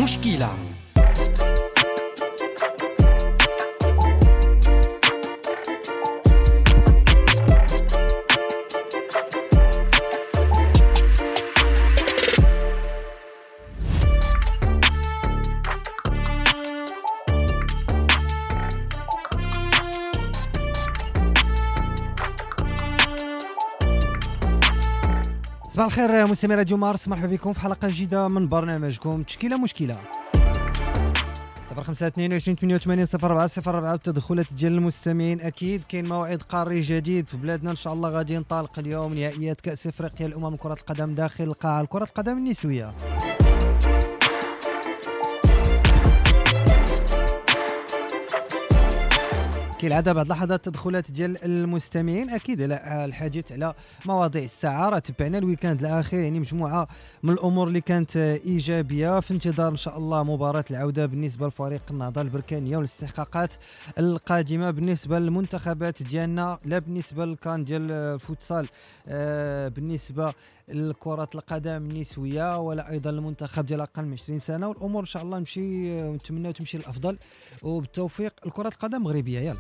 مشكلة. صباح الخير مستمعي راديو مارس، مرحبا بكم في حلقة جديدة من برنامجكم تشكيلة مشكلة. 05 22 88 04 04 التدخلات ديال المستمعين. اكيد كاين موعد قاري جديد في بلادنا ان شاء الله غادي ينطلق اليوم، نهائيات كأس افريقيا الامم كرة القدم داخل القاعة كرة القدم النسوية. كالعادة بعد لحظات التدخلات ديال المستمعين اكيد على الحديث على مواضيع الساعة. راه تبعنا ال week-end الاخير، يعني مجموعة من الامور اللي كانت ايجابية في انتظار ان شاء الله مباراة العودة بالنسبة لفريق النهضة البركانيه والاستحقاقات القادمة بالنسبة للمنتخبات ديالنا، لا بالنسبة للكان ديال الفوتسال، بالنسبة لكرة القدم النسوية، ولا ايضا المنتخب ديال اقل من 20 سنة. والامور ان شاء الله نمشي ونتمنى تمشي للافضل وبالتوفيق لكرة القدم المغربية. يلا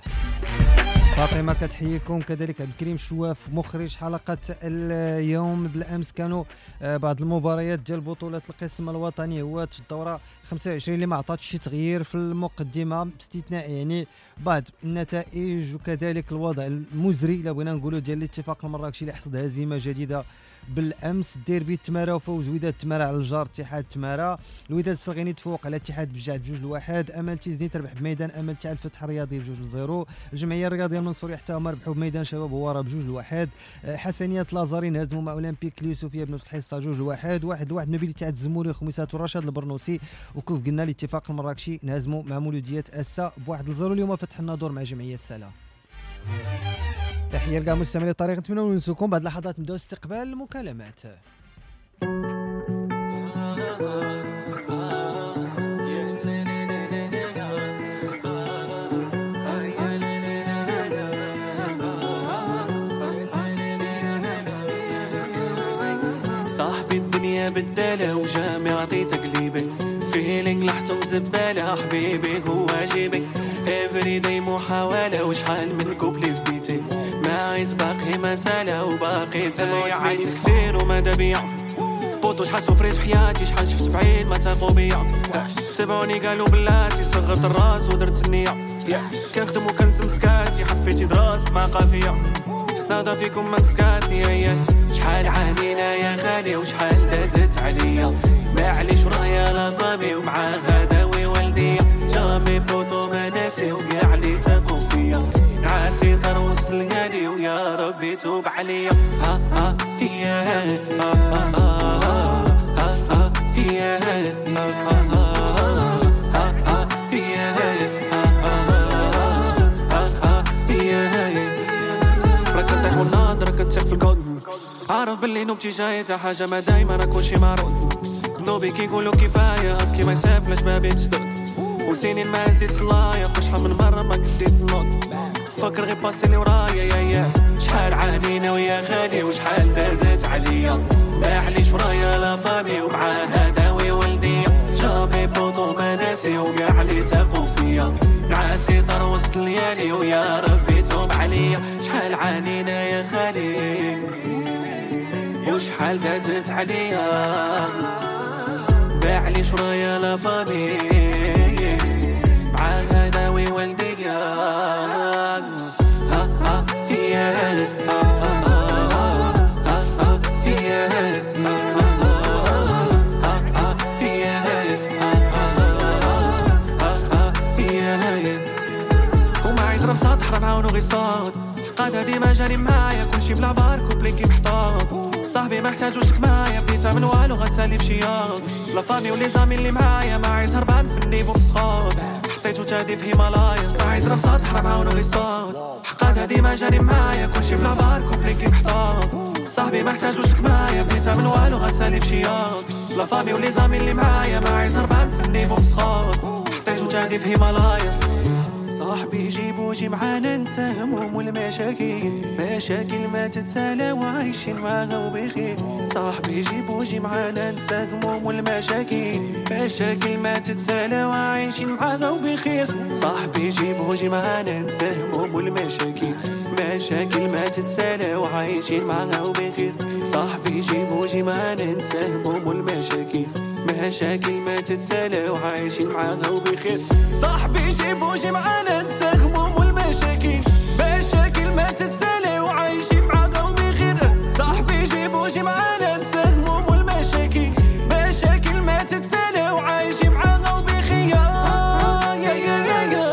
فاطمة كتحييكم، كذلك عبد الكريم شواف مخرج حلقة اليوم. بالامس كانوا بعض المباريات ديال بطوله القسم الوطني هو الدورة 25 اللي ما عطاتش شي تغيير في المقدمة باستثناء يعني بعض النتائج، وكذلك الوضع المزري الا بغينا نقولوا ديال الاتفاق المراكشي اللي حصد هزيمة جديدة بالامس. ديربي تمارا وفوز وداد تمارا على الجار اتحاد تمارا، الوداد الصغيري تفوق على اتحاد بجعد 2-1، امل تيزني تربح بميدان امل تاع الفتح الرياضي 2-0، الجمعية الرياضية المنصوريه حتى هما ربحوا بميدان شباب هواره 2-1، حسنيه لازارين هزموا مع اولمبيك اليوسفيه بنفس الحصة 2-1، 1-1 ما بين اتحاد الزموري وخميسات ورشاد البرنوسي، وكيف قلنا الاتفاق المراكشي نهزموا مع مولوديه اسا ب1-0. اليوم فتح الناظور مع جمعية سلا. تحية لكاع مستمعي الطريق، نتمنى نونسوكم بعد لحظات نبداو استقبال المكالمات. صاحبي الدنيا بدالة وجامي عطيتك قليبي feeling لحتم زبالة حبيبي هو جيبي every day محاولة وشحال من كوبلي زبيتي ما عايز باقي مسألة وباقي تسمعي عانيت كتير وما دابيا بوطو شحال سفريت في حياتي شحال شفت بعيد ما تاقو بيا تبعوني قالوا بلاتي صغرت الراس ودرت النية كنخدم وكنسم سكاتي حفيتي دراس مع قافية ناضا فيكم ما مسكاتني شحال عانينا يا غالي وشحال دازت عليا معليش ورايا la famille ومع غداوي والديا jamais بوطو ما ناسي وكاع اللي تاقو فيا نعاسي طر وسط الهادي ويا ربي توب عليا ها ها يا ها ها ها ها يا ها ها ها يا ها ها يا راك طيح والناض راك تشك في الكود عارف باللي نوبتي جاية تا حاجة ما دايما راه كلشي معروض نوبي كيقولوا كفاية اسكي ما يسافلاش ما بيت شدود وسنين ما زيد صلايا شحال من مرة ما قديت نوض فكر غير باسي اللي ورايا يا يا شحال عانينا ويا غالي وشحال دازت عليا معليش ورايا la famille ومع هداوي والديا jamais بوطو ما ناسي وكاع اللي تاقو فيا نعاسي طر وسط الليالي ويا ربي توب عليا شحال عانينا يا غالي وشحال دازت عليا معليش ورايا la famille مع غداوي والديا ها ها يا ها ها ها يا ها ها يا ها ها يا وما عايز راه سطح راه معاونو غير صوت قادة ديما جاري معايا كلشي بلا بار كوبلي كي محطوط صاحبي ما احتاجوش لك معايا بديتها من والو غنسالي في شياط la famille و les amis اللي معايا ما عايز هربان في ال niveau مسخوط حطيتو تادي في هيمالايا ما عايز راه سطح راه معاونو غير صوت حقادة ديما جاري معايا كلشي بلا بار كوبلي كي محطوط صاحبي ما احتاجوش لك معايا بديتها من والو غنسالي في شياط la famille و les amis اللي معايا ما عايز هربان في ال niveau مسخوط حطيتو تادي في هيمالايا. صاحبي جيبو جي معانا ننسى هموم والمشاكل، مشاكل ما تتسالى وعايشين معاها وبخير. صاحبي جيبو جي معانا ننسى هموم والمشاكل، مشاكل ما تتسالى وعايشين معاها وبخير. صاحبي جيبو جي معانا ننسى هموم والمشاكل، مشاكل ما تتسالى وعايشين معاها وبخير. صاحبي جيبو جي معانا ننسى هموم والمشاكل، مشاكل ما تتسالى وعايشين معاها وبخير. صاحبي جيبو جي معانا ننسى هموم والمشاكل، مشاكل ما تتسالى وعايشين معاها وبخير. صاحبي جيبو جي معانا ننسى هموم والمشاكل، مشاكل ما تتسالى وعايشين معاها وبخير. يا يا يا يا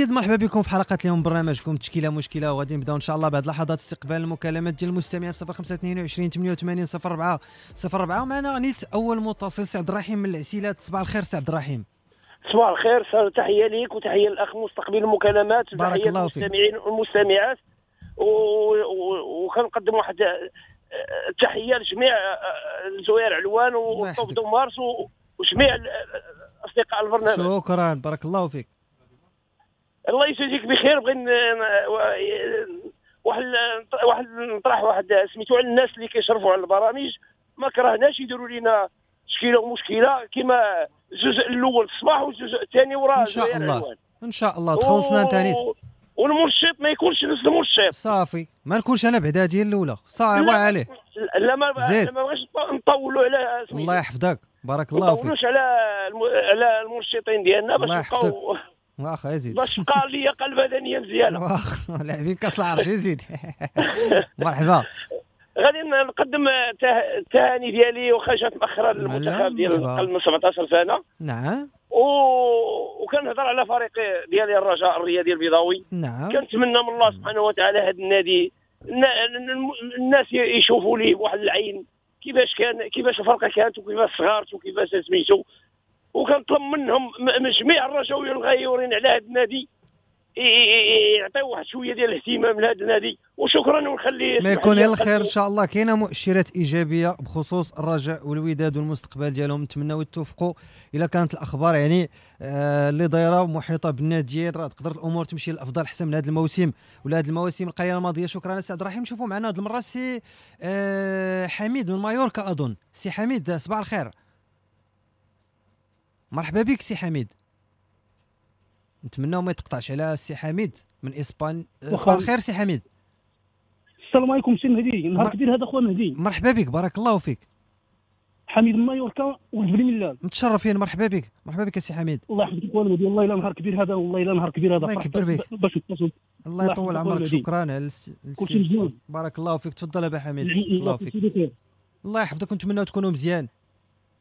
مرحبا بكم في حلقة اليوم برنامجكم تشكيله مشكلة، وغادي نبداو ان شاء الله بعد لحظات استقبال المكالمات ديال المستمعين في 0522 88 04 04. ومعنا نيت اول متصل سي عبد الرحيم من العسيلات. صباح الخير سي عبد الرحيم. صباح الخير، تحية ليك وتحية للاخ مستقبل المكالمات وتحية للمستمعين والمستمعات، وكنقدم واحد التحية لجميع الزوير علوان وطوب دومارس وجميع اصدقاء البرنامج. شكرا، بارك الله فيك. الله يجازيك بخير. بغيت واحد نطرح واحد سميتو على الناس اللي كيشرفوا على البرامج، ما كرهناش يديروا لنا تشكيله ومشكلة كما الجزء الاول الصباح والجزء الثاني وراه. ان شاء الله ان شاء الله تخلصنا انت نيت، والمرشد ما يكونش نفس المرشد صافي، ما نكونش انا بعدا هذه الاولى صعيبة عليه. لا ما بغيتش نطولوا على سميتو. الله يحفظك، بارك الله فيك. ما نطولوش على المرشدين ديالنا باش نبقاو واخا يزيد، باش بقى لي قلب بدنية مزيانه. واخا لاعبين كاس العرش يزيد. مرحبا. غادي نقدم التهاني ديالي واخا جات مأخرا للمنتخب ديال اقل من 17 سنة. نعم. وكنهضر على فريق ديالي الرجاء الرياضي البيضاوي. نعم. كنتمنى من الله سبحانه وتعالى هذا النادي الناس يشوفوا ليه بواحد العين كيفاش كان، كيفاش الفرقة كانت وكيفاش صغارت وكيفاش سميتو، وكنطلب منهم من جميع الرجاويين الغيورين على هذا النادي يعطيو واحد شوية ديال الاهتمام لهذا النادي. وشكرا، ونخلي ما يكون الخير ان شاء الله. كاينه مؤشرات ايجابية بخصوص الرجاء والوداد والمستقبل ديالهم، نتمناو يتوفقوا. الا كانت الاخبار يعني اللي دايرة ومحيطه بالناديين راه تقدر الامور تمشي للافضل احسن من هذا الموسم ولا هذه المواسم القليلة الماضية. شكرا سي عبد الرحيم. نشوفوا معنا هذه المرة سي حميد من مايوركا اظن. سي حميد صباح الخير، مرحبا بك سي حميد. نتمناو ما يتقطعش على سي حميد من اسبان. صباح الخير سي حميد. السلام عليكم سي مهدي، نهار كبير هذا خويا مهدي. مرحبا بك، بارك الله فيك. حميد من مايوركا ولد بني ملال. متشرفين، مرحبا بك، مرحبا بك سي حميد. الله يحفظك خويا مهدي، والله الا نهار كبير هذا، والله الا نهار كبير هذا. الله يكبر بك. باش نتصل. الله يطول عمرك، شكرا على كلشي مزيان. بارك الله فيك، تفضل ابا حميد. الله فيك. الله يحفظك ونتمناو تكونوا مزيان.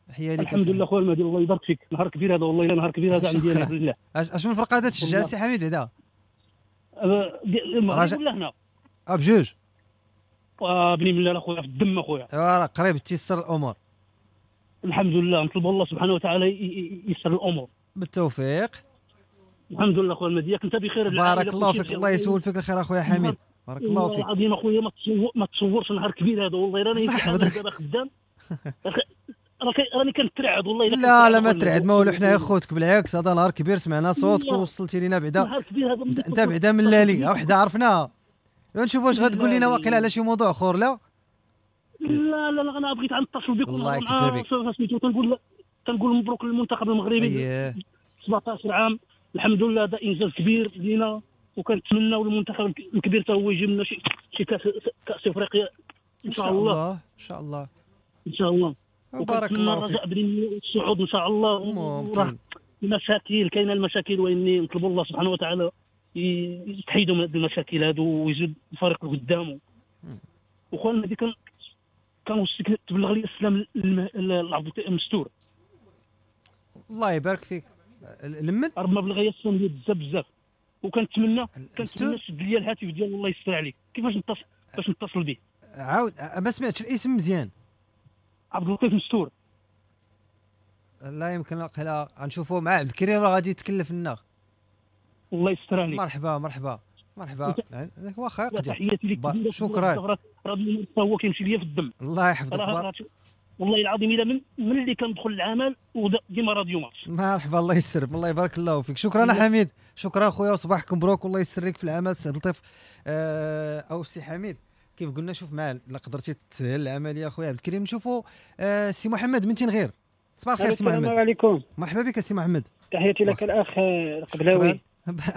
تحية لك. الحمد لله خويا المهدي، الله يبارك فيك. نهار كبير هذا، والله الا نهار كبير هذا عندي انا بالله. اش من فرقه هذا تشجع سي حميد هذا؟ المغرب ولا هنا؟ بجوج. بني ملال اخويا في الدم اخويا. راه قريب تيسر الامور. الحمد لله، نطلب الله سبحانه وتعالى يسر الامور. بالتوفيق. الحمد لله خويا المهدي، ياك انت بخير. بارك الله فيك، الله يسول فيك الخير اخويا حميد. بارك الله فيك. العظيم اخويا ما تصورش نهار كبير هذا، والله راني دابا خدام. راني كنترعد والله. لا لا ما ترعد ما والو، حنا خوتك بالعكس، هذا نهار كبير سمعنا صوتك ووصلتي لينا بعدا، انت بعدا من لالي وحده عرفناها. نشوفوا واش غتقول لنا واقيلا على شي موضوع اخر. لا لا لا لا، انا بغيت نتصل بك. الله يكبر بك. تنقول مبروك للمنتخب المغربي 17 عام، الحمد لله هذا انجاز كبير لينا، وكنتمناو المنتخب الكبير حتى هو يجيب لنا شي كاس افريقيا ان شاء الله. ان شاء الله ان شاء الله. بارك الله فيك. الرجاء الصعود ان شاء الله. ممكن المشاكل كاينه، المشاكل، واني نطلب الله سبحانه وتعالى يتحيدوا من هذه المشاكل هادو ويزيد الفريق قدامه. وخويا المهدي كنوصيك تبلغ لي السلام لعبد المستور. الله يبارك فيك. لمن راه بلغ لي السلام ديال بزاف بزاف، وكنتمنى تشد لي الهاتف ديالو. الله يستر عليك. كيفاش نتصل باش نتصل به؟ عاود ما سمعتش الاسم مزيان. عبد اللطيف مستور. لا يمكن لا غنشوفوا مع عبد الكريم راه غادي يتكلف لنا. الله يستر عليك. مرحبا مرحبا مرحبا. واخا يقدر. تحياتي لك. شكرا. راه هو كيمشي ليا في الدم. الله يحفظك. والله العظيم الا من اللي كندخل العمل وديما راديو مارس. مرحبا. الله يسر. الله يبارك الله فيك. شكرا حميد. شكرا خويا وصباحكم مبروك والله يسر لك في العمل سي عبد اللطيف او سي حميد. كيف قلنا شوف معاه لا قدرتي تسهل العملية خويا عبد الكريم. نشوفوا سي محمد من تنغير. صباح الخير سي محمد. السلام عليكم. مرحبا بك سي محمد. تحياتي لك الاخ القبلاوي.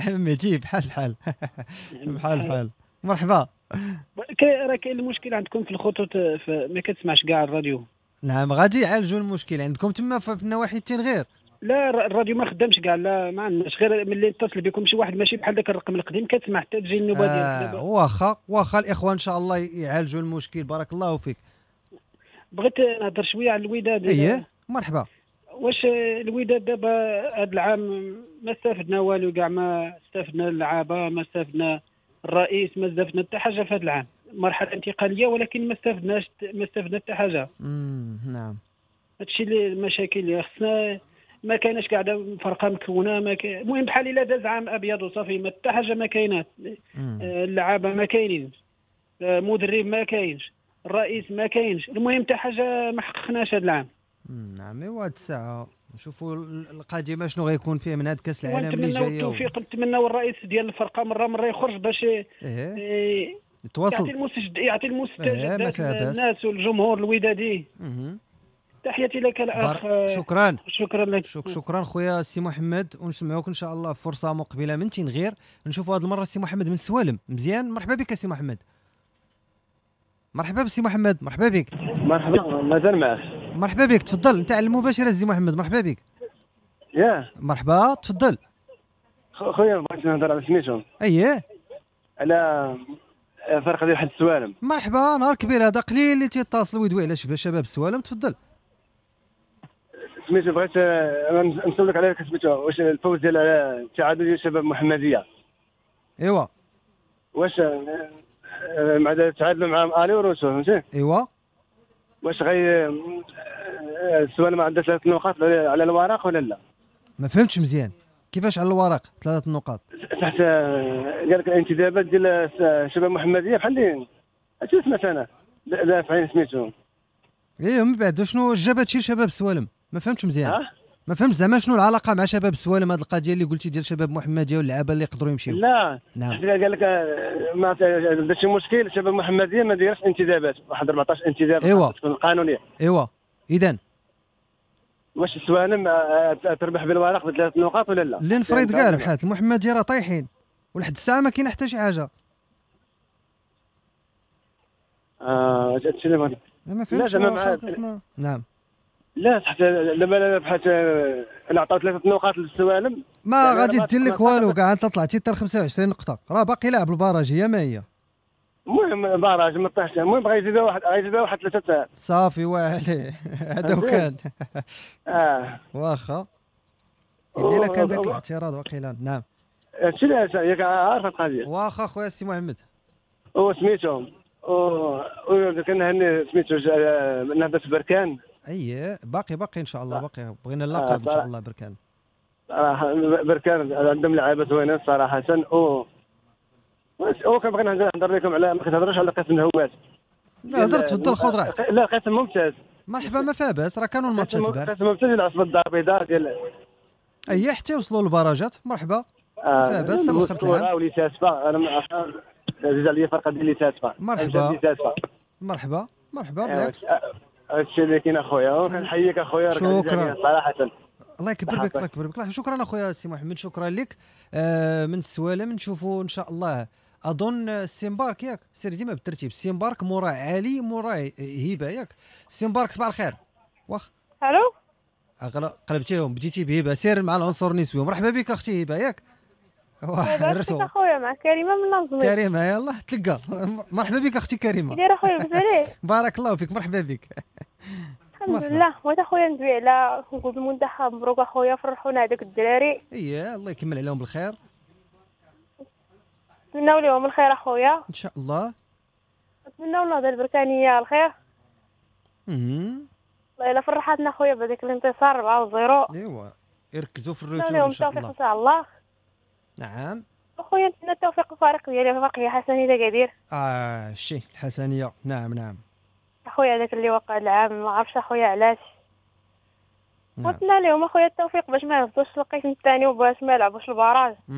مهدي بحال بحال بحال بحال. مرحبا. راه كاين المشكل عندكم في الخطوط، ما كتسمعش كاع الراديو. نعم غادي يعالجوا المشكل عندكم تما في النواحي التنغير. لا الراديو ما خدامش كاع، لا ما عندناش، غير ملي اتصل بكم شي واحد ماشي بحال داك الرقم القديم كتسمع حتى تجي النوبة ديالك. واخا الاخوان ان شاء الله يعالجوا المشكل. بارك الله فيك. بغيت نهضر شوية على الوداد. اييه مرحبا. واش الوداد دابا هذا العام ما استفدنا والو كاع، ما استفدنا اللعابه، ما استفدنا الرئيس، ما استفدنا حتى حاجة في هذا العام. مرحلة انتقالية ولكن ما استفدناش، ما استفدنا حتى حاجة. نعم هادشي اللي المشاكل اللي خصنا، ما كايناش كاع فرقه مكونة، المهم بحال الا داز عام ابيض وصافي، ما حتى حاجة ما كاينات. اللعابه ما كاينين، المدرب ما كاينش، الرئيس ما كاينش، المهم حتى حاجة ما حققناش هذا العام. نعم ايوا هاد الساعة نشوفوا القادمة شنو غيكون فيه من هاد كاس العالم اللي جاي. التوفيق نتمناو الرئيس ديال الفرقة مرة يخرج باش يتواصل، يعطي المستجدات للناس والجمهور الودادي. تحياتي لك الاخ. شكرا شكرا لك. شكرا خويا سي محمد، ونسمعوك ان شاء الله فرصة مقبله من تنغير. نشوفوا هذه المرة سي محمد من سوالم. مزيان مرحبا بك سي محمد. مرحبا بسي محمد. مرحبا بك. مرحبا مازال معك. مرحبا بك تفضل انت على المباشرة سي محمد. مرحبا بك. ياه مرحبا تفضل خويا. بغيت نهضر على سميتو. اييه على فرقه ديال واحد السوالم. مرحبا نهار كبير هذا، قليل اللي تيتصل ويدوي على شباب السوالم. تفضل سميتو. بغيت نسولك على سميتو، واش الفوز ديال التعادل ديال شباب محمديه؟ ايوا واش مع تعادلوا مع الي وروسو فهمتي؟ ايوا واش غي السوالم عندها 3 نقاط على الورق ولا لا؟ ما فهمتش مزيان كيفاش على الورق 3 نقاط. تحت قال لك الانتدابات ديال شباب محمديه بحال اللي هادشي سمعت انا دافعين سميتو. ايه من بعد شنو جاب هادشي لشباب السوالم؟ ما فهمتش مزيان. ما فهمتش زعما شنو العلاقة مع شباب السوالم هذه القضية اللي قلتي ديال شباب محمديه واللعابه اللي يقدروا يمشيو. لا نعم قال لك ما درت شي مشكل شباب محمديه ما دايرش انتدابات، واحد 14 انتداب. إيوا. تكون قانونية. ايوا اذا واش السوالم تربح بالورق بثلاث نقاط ولا لا؟ اللي نفرض كاع ربحات المحمدية راه طايحين ولحد الساعة ما كاين حتى شي حاجة. هادشي اللي بغيت. ما فهمتش. نعم لا حتى لما ربحت عطاو 3 نقاط للسوالم ما يعني غادي دير لك والو كاع. انت طلعتي حتى 25 نقطة راه باقي لاعب ال barrage هي ما هي. المهم barrage ما طاحش، المهم غيزيدوا واحد، غيزيدوا واحد 3 صافي واعلي هذا وكان. واخا الا كان ذاك الاعتراض وقيلا. نعم هادشي اللي ياك عارف القضية. واخا خويا السي محمد هو سميتو او كنهني سميتو نهضة بركان. اي باقي ان شاء الله باقي بغينا اللقب ان شاء الله. بركان صراحة بركان عندهم لعابه زوينين صراحة. او كنبغي نهضر لكم على ما كتهضروش على قسم الهواة. لا هضر تفضل خذ راحتك. لا قسم ممتاز. مرحبا، ما فيها باس، راه كانوا الماتشات البارح. ممتاز العصبة الدار البيضاء ديال اي حتى وصلوا للبراجات. مرحبا، ما فيها باس الاخر العام. وليساسفة انا عزيز عليا الفرقة ديال ليساسفة. مرحبا مرحبا مرحبا، بالعكس هادشي اللي كاين اخويا، وكنحييك اخويا. شكرا صراحة، الله يكبر بك الله يكبر بك. شكرا اخويا سي محمد، شكرا لك. من السوالم نشوفوا ان شاء الله، اظن السيمبارك ياك، سير ديما بالترتيب، السيمبارك مورا علي مورا هبه ياك. السيمبارك صباح الخير. واخ الو، قلبتيهم، بديتي بهبه، سير مع العنصر النسوي. مرحبا بك اختي هبه ياك. واخ اخويا مع كريمة من نظمي. كريمة يلاه تلقى. مرحبا بك اختي كريمة. كي دايرة اخويا؟ بخير بارك الله فيك، مرحبا بك. الحمد لله. بغيت اخويا ندوي على نقول المنتخب، مبروك اخويا، فرحونا هذوك الدراري. اييه الله يكمل عليهم بالخير، نتمناو لهم الخير اخويا ان شاء الله. نتمناو النهضة البركانيه الخير. الله الا فرحتنا اخويا بهذاك الانتصار 4-0. ايوا يركزوا في ال retour ان شاء الله. ان شاء الله. نعم اخويا نتمنى التوفيق للفريق ديالي، الفريق الحسنيه اكادير. الشيء الحسنيه، نعم نعم اخويا، هذاك اللي وقع العام ما عرفتش اخويا علاش. نتمنى لهم اخويا التوفيق باش ما يهبطوش القسم الثاني وباش ما يلعبوش ال barrage.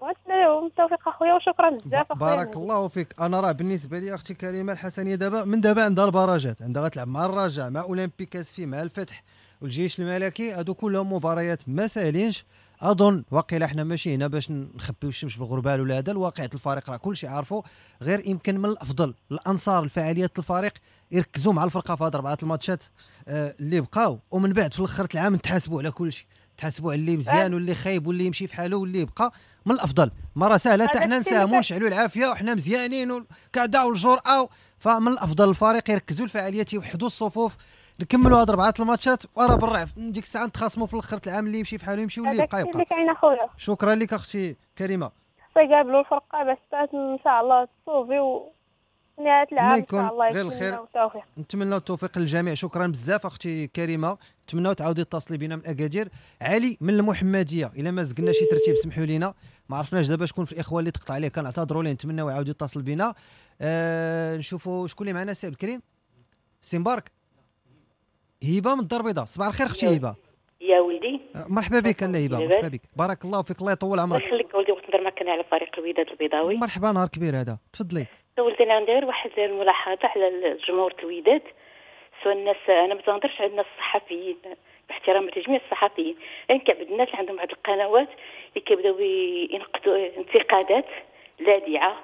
ونتمنى لهم التوفيق اخويا، وشكرا بزاف اخويا. بارك الله فيك. انا راه بالنسبة لي اختي كريمة، الحسنيه دابا من دابا عندها البراجات، عندها غتلعب مع الرجاء، مع اولمبيك اسفي، مع الفتح والجيش الملكي، هادو كلهم مباريات ما ساهلينش. اظن واقيلا حنا ماشي هنا باش نخبيو الشمس بالغربال ولا هذا، الواقع الفريق راه كلشي عارفو، غير يمكن من الافضل الانصار الفعاليات الفريق يركزوا مع الفرقة في هاد 4 الماتشات اللي بقاو، ومن بعد في الاخر العام نتحاسبوا على كلشي، تحاسبوا على اللي مزيان واللي خايب واللي يمشي في حاله واللي يبقى. من الافضل ما راه سهلة حتى حنا نساهموا نشعلوا العافية وحنا مزيانين وكذا والجرأه، فمن الافضل الفريق يركزوا الفعاليات، يوحدوا الصفوف، نكملوا هاد 4 الماتشات ورا بالرعف ديك الساعة نتخاصموا في الاخر العام، اللي يمشي في حاله يمشي واللي يبقى يبقى. شكرا لك اختي كريمة. يقابلوا الفرقة باش ان شاء الله تصوفي ونهاية العام ان شاء الله غير الخير. نتمنى التوفيق للجميع. شكرا بزاف اختي كريمة، نتمنى تعاودي تتصلي بنا من اكادير. علي من المحمدية، الا ما زقنا شي ترتيب سمحوا لينا، ما عرفناش دابا شكون في الاخوة اللي تقطع عليه، كنعتذروا ليه، نتمناو يعاود يتصل بنا. نشوفوا شكون اللي معنا. سي عبد الكريم سي مبارك. هبه من الدار البيضاء، صباح الخير اختي هبه. يا ولدي مرحبا بك. انا هبه مرحبا بك، بارك الله فيك، الله يطول عمرك. الله يخليك ولدي، بغيت نهضر معك انا على فريق الوداد البيضاوي. مرحبا، نهار كبير هذا، تفضلي. ولدي انا عندي غير واحد الملاحظة على الجمهور الوداد، سواء الناس، انا ما تنهضرش على الناس الصحفيين باحترام لجميع الصحفيين، لكن كاين الناس اللي عندهم واحد القنوات اللي كيبداو ينقدوا انتقادات لاذعه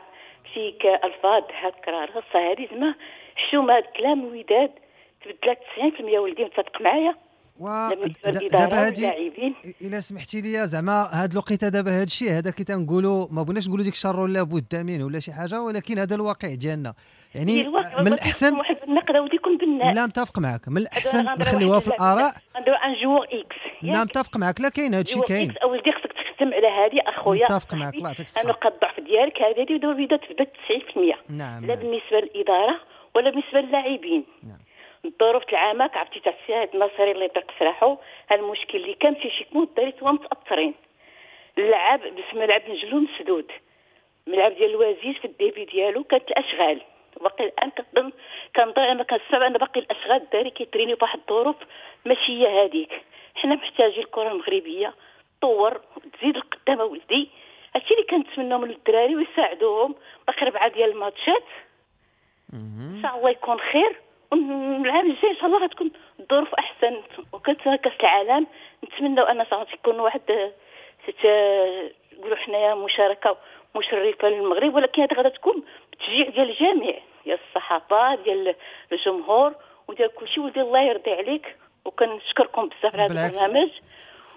في كالفاظ هكا راه هذه زعما حشومه. هذا الكلام الوداد تبدلات 90% ولدي، متفق معايا؟ دابا هادي الا سمحتي لي زعما هاد الوقيته دابا هاد الشيء هذا كي تنقولوا ما بغيناش نقولوا ديك الشر ولا بد منه ولا شي حاجة، ولكن هذا الواقع ديالنا يعني من الاحسن واحد النقد ودي يكون بناء. لا متفق معك، من الاحسن نخليوها في الاراء. نديرو un joueur X. لا متفق معك، لا كاين هاد الشيء كاين. ولدي خصك تخدم على هذه اخويا. متفق معك، الله يعطيك الصحة. نقاط الضعف ديالك هذه ودابا تبدات 90%. نعم. لا بالنسبة للادارة ولا بالنسبة للاعبين. نعم. الظروف العامة عرفتي تاع السيد الناصري اللي طرق سراحو، المشكل اللي كان في شي كون الدراري توا متاثرين. اللعاب بس ملعب نجلو مسدود، ملعب ديال الوزير في ال début ديالو كانت الاشغال، باقي الان كنظن كنظن انا كنسمع ان باقي الاشغال الدراري كيترينيو فواحد الظروف ماشي هي هذيك. حنا محتاجين الكره المغربية تطور وتزيد القدام ولدي، هادشي اللي كنتمناو من الدراري ويساعدوهم. باقي 4 ديال الماتشات ان شاء الله يكون خير، والعام الجاي ان شاء الله غتكون الظروف احسن، وكانت كاس العالم نتمنوا ان تكون واحد نقولوا حنايا مشاركة مشرفة للمغرب، ولكن هذا غادا تكون بتشجيع ديال الجميع، ديال الصحافة، ديال الجمهور، وديال كلشي. ولدي الله يرضي عليك، وكنشكركم بزاف على هذا البرنامج،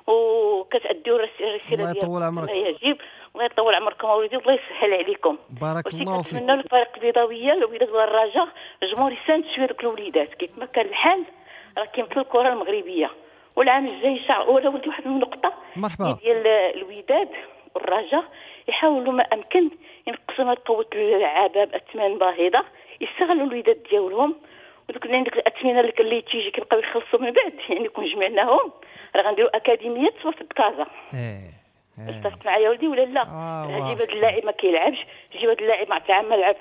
وكتأديو الرسالة الله يطول عمرك يجب. الله يطول عمركم اوليدي، والله يسهل عليكم. بارك الله فيك. نتمنى الفريق البيضاوية الوداد والرجاء الجمهور يساند شوية دوك الوليدات كيف ما كان الحال، راه كيمثل الكره المغربية. والعام الجاي ان شاء الله ولدي واحد النقطة مرحبا ديال الوداد والرجاء، يحاولوا ما امكن ينقصوا من قوة اللعابه باثمان باهظه، يستغلوا الوداد ديالهم، ودوك اللي عندك الاثمنه اللي تيجي كيبقاو يخلصوا من بعد، يعني كون جمعناهم راه غنديروا اكاديميات في كازا. اتفق معايا ولدي ولا لا؟ جيب هذا اللاعب ما كيلعبش، جيب هذا اللاعب ما تعامل لعب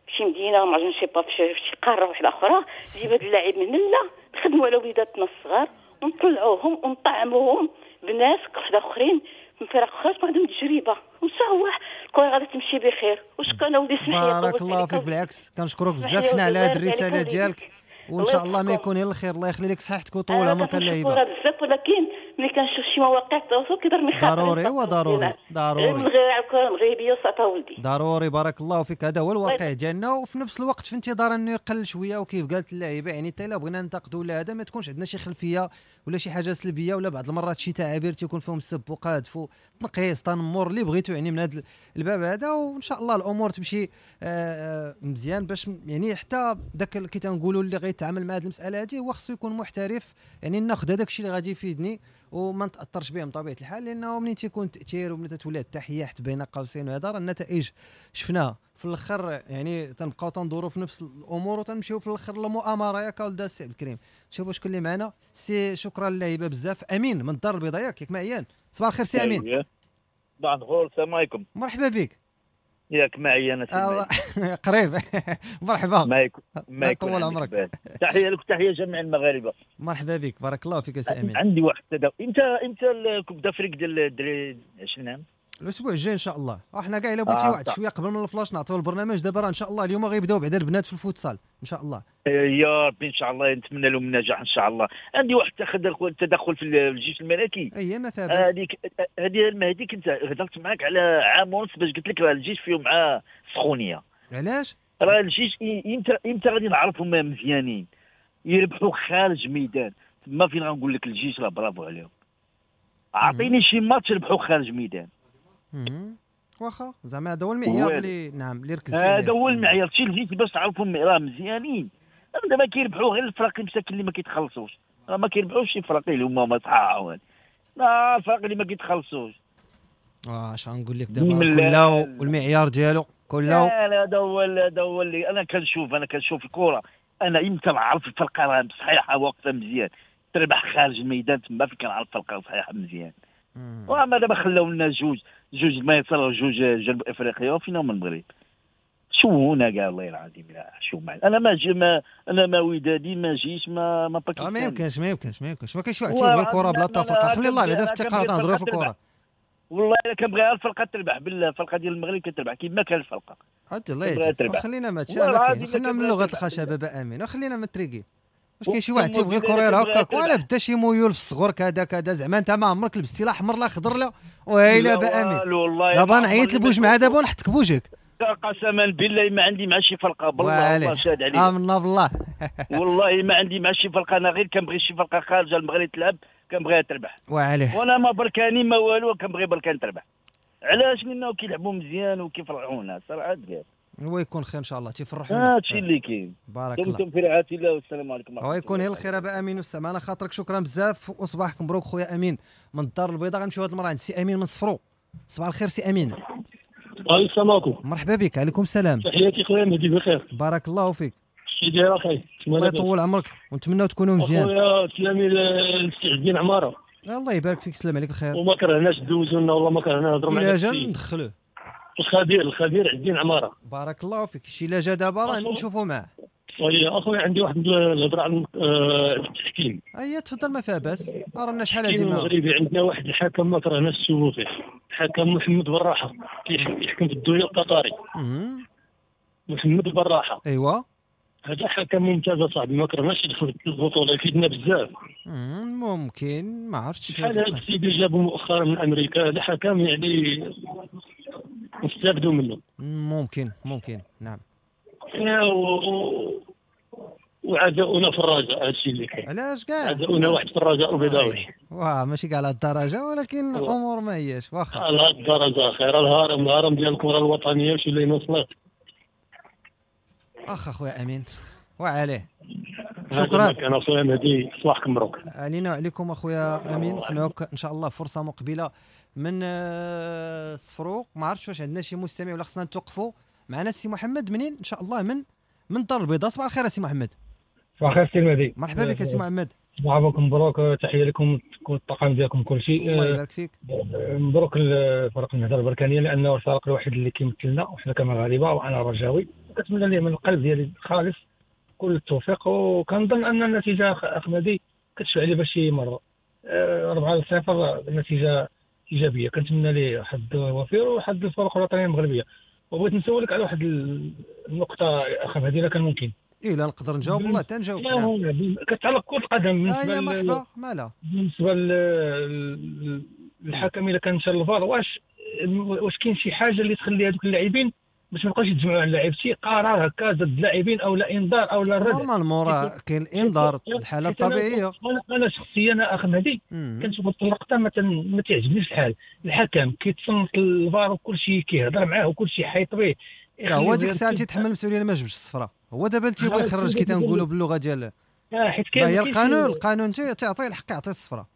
في شي مدينة ما عرفتش با في شي قارة واحدة اخرى، جيب هذا اللاعب من لا نخدموا على وليداتنا الصغار ونطلعوهم ونطعموهم بناس واحد اخرين من فرق اخرى عندهم تجربه، وان شاء الله الكره غادي تمشي بخير. وشكرا ولدي، سمح لي بارك الله فيك. بالعكس كنشكرك بزاف حنا على هذه الرسالة ديالك، وان شاء الله ما يكون الا الخير. الله يخلي لك صحتك وطول عمرك اللعيبة. بزاف، ولكن ملي كنشوف شي مواقع التواصل كيضرني خاطري. ضروري وضروري ضروري غير على الكره المغربية وصافي ولدي، ضروري. بارك الله فيك. هذا هو الواقع ديالنا، وفي نفس الوقت في انتظار انه يقل شوية. وكيف قالت اللعيبة يعني حتى الا بغينا ننتقدوا ولا هذا ما تكونش عندنا شي خلفية ولا شي حاجة سلبية، ولا بعض المرات شي تعابير تيكون فيهم السب وقادف وتنقيص تنمر اللي بغيتو يعني من هذا الباب هذا. وان شاء الله الامور تمشي مزيان، باش يعني حتى داك كي تنقولوا اللي غيتعامل مع هذه المسالة هذه هو خصو يكون محترف، يعني ناخذ هذاك الشيء اللي غادي يفيدني وما نتاثرش به بطبيعة الحال، لانه منين تيكون التاثير ومن تتولى التحية حتى بين قوسين وهذا راه النتائج شفناها في الاخر، يعني تنبقاو تندوروا في نفس الامور وتنمشيو في الاخر للمؤامره. ياك ولد السي عبد الكريم، شوفوا شكون اللي معنا. سي شكرا للهبه بزاف. امين من الدار البيضاء، ياك معيان. صباح الخير سي امين. صباح الخير، السلام عليكم. مرحبا بك. ياك معي انا سي قريب. مرحبا. ما يكون طول عمرك. تحية لك وتحية جميع المغاربة. مرحبا بك، بارك الله فيك سي امين. عندي واحد التداول. امتى ال Coupe d'Afrique ديال الدراري 20 عام؟ الاسبوع الجاي ان شاء الله. احنا كاع الا بغيتي واحد شوية قبل من الفلاش نعطيو البرنامج دابا، راه ان شاء الله اليوم غيبداو بعدا البنات في الفوتسال ان شاء الله. يا ربي ان شاء الله، نتمنى لهم النجاح ان شاء الله. عندي واحد التدخل في الجيش الملكي. اي ما فيها باس. هذه المهدي كنت هضرت معاك على عام ونص باش قلت لك راه الجيش فيهم مع سخونيه. علاش؟ راه الجيش امتى غادي نعرفهم مزيانين يربحوا خارج ميدان، تما فين غنقول لك الجيش راه برافو عليهم. اعطيني شي ماتش يربحوا خارج ميدان. واخا زعما هذا هو المعيار اللي نعم اللي ركزت عليه. هذا هو المعيار شي الجيش باش تعرفهم راه مزيانين. دابا كيربحوا غير الفرق المساكن اللي ما كيتخلصوش، راه ما كيربحوش شي فرق اللي هما صحاح، لا الفرق اللي ما كيتخلصوش. اش غنقول لك دابا كله والمعيار ديالو كله. لا هذا هو اللي انا كنشوف الكره. انا امتى نعرف الفرقة راه صحيحه واقفة مزيان تربح خارج الميدان، تما فين كنعرف الفرقة صحيحه مزيان. وما دابا خلاو لنا جوج مصر وجوج جنوب افريقيا وفينا من المغرب. شوهونا كاع الله العظيم. لا شو معنا انا ما انا ما ودادي ما جيش ما باكستاني. ما يمكنش ما كاينش واحد تيبغي الكره بلا تفرقه. خلي الله بعدا في الثقة تنهضروا في الكره. والله الا كنبغيها الفرقة تربح، بالله الفرقة ديال المغرب كتربح كيما كان الفرقة. الله يهديك، خلينا ما خلينا من لغة الخشبة با امين، وخلينا من التريكي. واش كاين شي واحد تيبغي الكره هكاك ولا بدا شي ميول في الصغر كذا كذا، زعما انت ما عمرك لبستي لا احمر لا خضر لا وهيلا با امين. دابا نعيط لبوجمعه دابا ونحطك بوجهك. قسما بالله ما عندي مع شي فرقه، بالله الله شاد عليا. امنا بالله. والله ما عندي مع شي فرقه، انا غير كنبغي شي فرقه خارجه المغرب تلعب كنبغيها تربح. وعليه. وانا ما بركاني ما والو، كنبغي بركان تربح. علاش؟ لانه كيلعبوا مزيان وكيفرحونا صراحة. هو يكون خير ان شاء الله، تيفرحونا. هادشي اللي كاين. بارك الله. دمتم في رعاية الله والسلام عليكم. هو يكون غير الخير ابا امين والسلام على خاطرك. شكرا بزاف وصباحك مبروك خويا امين من الدار البيضاء. غنمشيو هاد المرة عند سي امين من صفرو. صباح الخير سي امين. السلام عليكم. مرحبا بك. عليكم السلام. تحياتي خويا مهدي، بخير بارك الله فيك. كي داير اخي؟ الله يطول عمرك ونتمناو تكونوا مزيان. خويا سلامي للسي عز الدين عمارة. الله يبارك فيك، سلام عليك الخير. وما كرهناش دوزو لنا والله ما كرهنا نهضروا معاك. الا جا ندخلوه الخبير عز الدين عمارة. بارك الله فيك. شي لا جا دابا راه نشوفوا معاه. oui اخويا عندي واحد الهضرة على التحكيم. اي تفضل ما فيها باس. رانا شحال هادي المغربي عندنا واحد الحكم ما كرهناش نشوفو فيه، الحكم محمد براحة، كيحكم في الدوري القطري. محمد براحة. ايوا هذا حكم ممتاز اصاحبي، ما كرهناش يدخل في البطولة، يفيدنا بزاف. ممكن ما عرفتش بحال هذا السيد اللي جابو مؤخرا من امريكا، هذا حكم يعني نستافدوا منه. ممكن نعم. وعداؤنا في الرجاء، هادشي اللي كاين. علاش كاع عداؤنا واحد في الرجاء البيضاوي. واه ماشي كاع على الدرجة، ولكن الامور ما هياش واخا على هاد الدرجة. خير الهرم ديال الكره الوطنية وشي اللي وصلت. اخ اخويا امين وعليه شكرا. انا خويا مهدي صباحك مبروك. علينا وعليكم اخويا امين. نسمعوك ان شاء الله فرصة مقبله من الصفروق. ما عرفتش واش عندنا شي مستمع ولا خصنا نتوقفوا. معنا السي محمد منين ان شاء الله من الدار البيضاء. صباح الخير سي محمد. صباح الخير سي المهدي. مرحبا بك سي محمد. صباحكم مبروك، تحية لكم الطاقم ديالكم كل شيء. الله يبارك فيك. مبروك الفريق النهضة البركانيه لانه الفريق الوحيد اللي كيمثلنا وحنا كمغاربه، وانا رجاوي كنتمنى ليه من القلب ديالي خالص كل التوفيق، وكنظن ان النتيجة اخمدي كتشفع لي باش شي مرة 4-0 نتيجة ايجابية. كنتمنى ليه حظ وفير وحظ الفرق الوطنية المغربية. وبغيت نسولك على واحد النقطة اخ مهدي الا كان ممكن. إيه لا نقدر نجاوب والله تنجاوب. نعم. كتعلق كره القدم بالنسبة مرحبا مالا بالنسبة للحكم الا كان مشى للفار، واش كاين شي حاجة اللي تخلي هذوك اللاعبين باش ما يبقاوش يتجمعوا على اللاعب، شي قرار هكا ضد اللاعبين او لا انذار او لا الردع؟ normalement راه كاين انذار الحالة الطبيعية. انا شخصيا اخ مهدي كنشوف اللقطة ما تعجبنيش الحال، الحكم كيتصنت الفار وكل شيء كيهضر معاه وكل شيء حيط به. هو ديك الساعة تيتحمل المسؤولية ما جبش الصفراء، هو دابا اللي تيبغي يخرج كي تنقولوا باللغة ديال حيت كاين هي القانون تيعطي الحق يعطي الصفراء.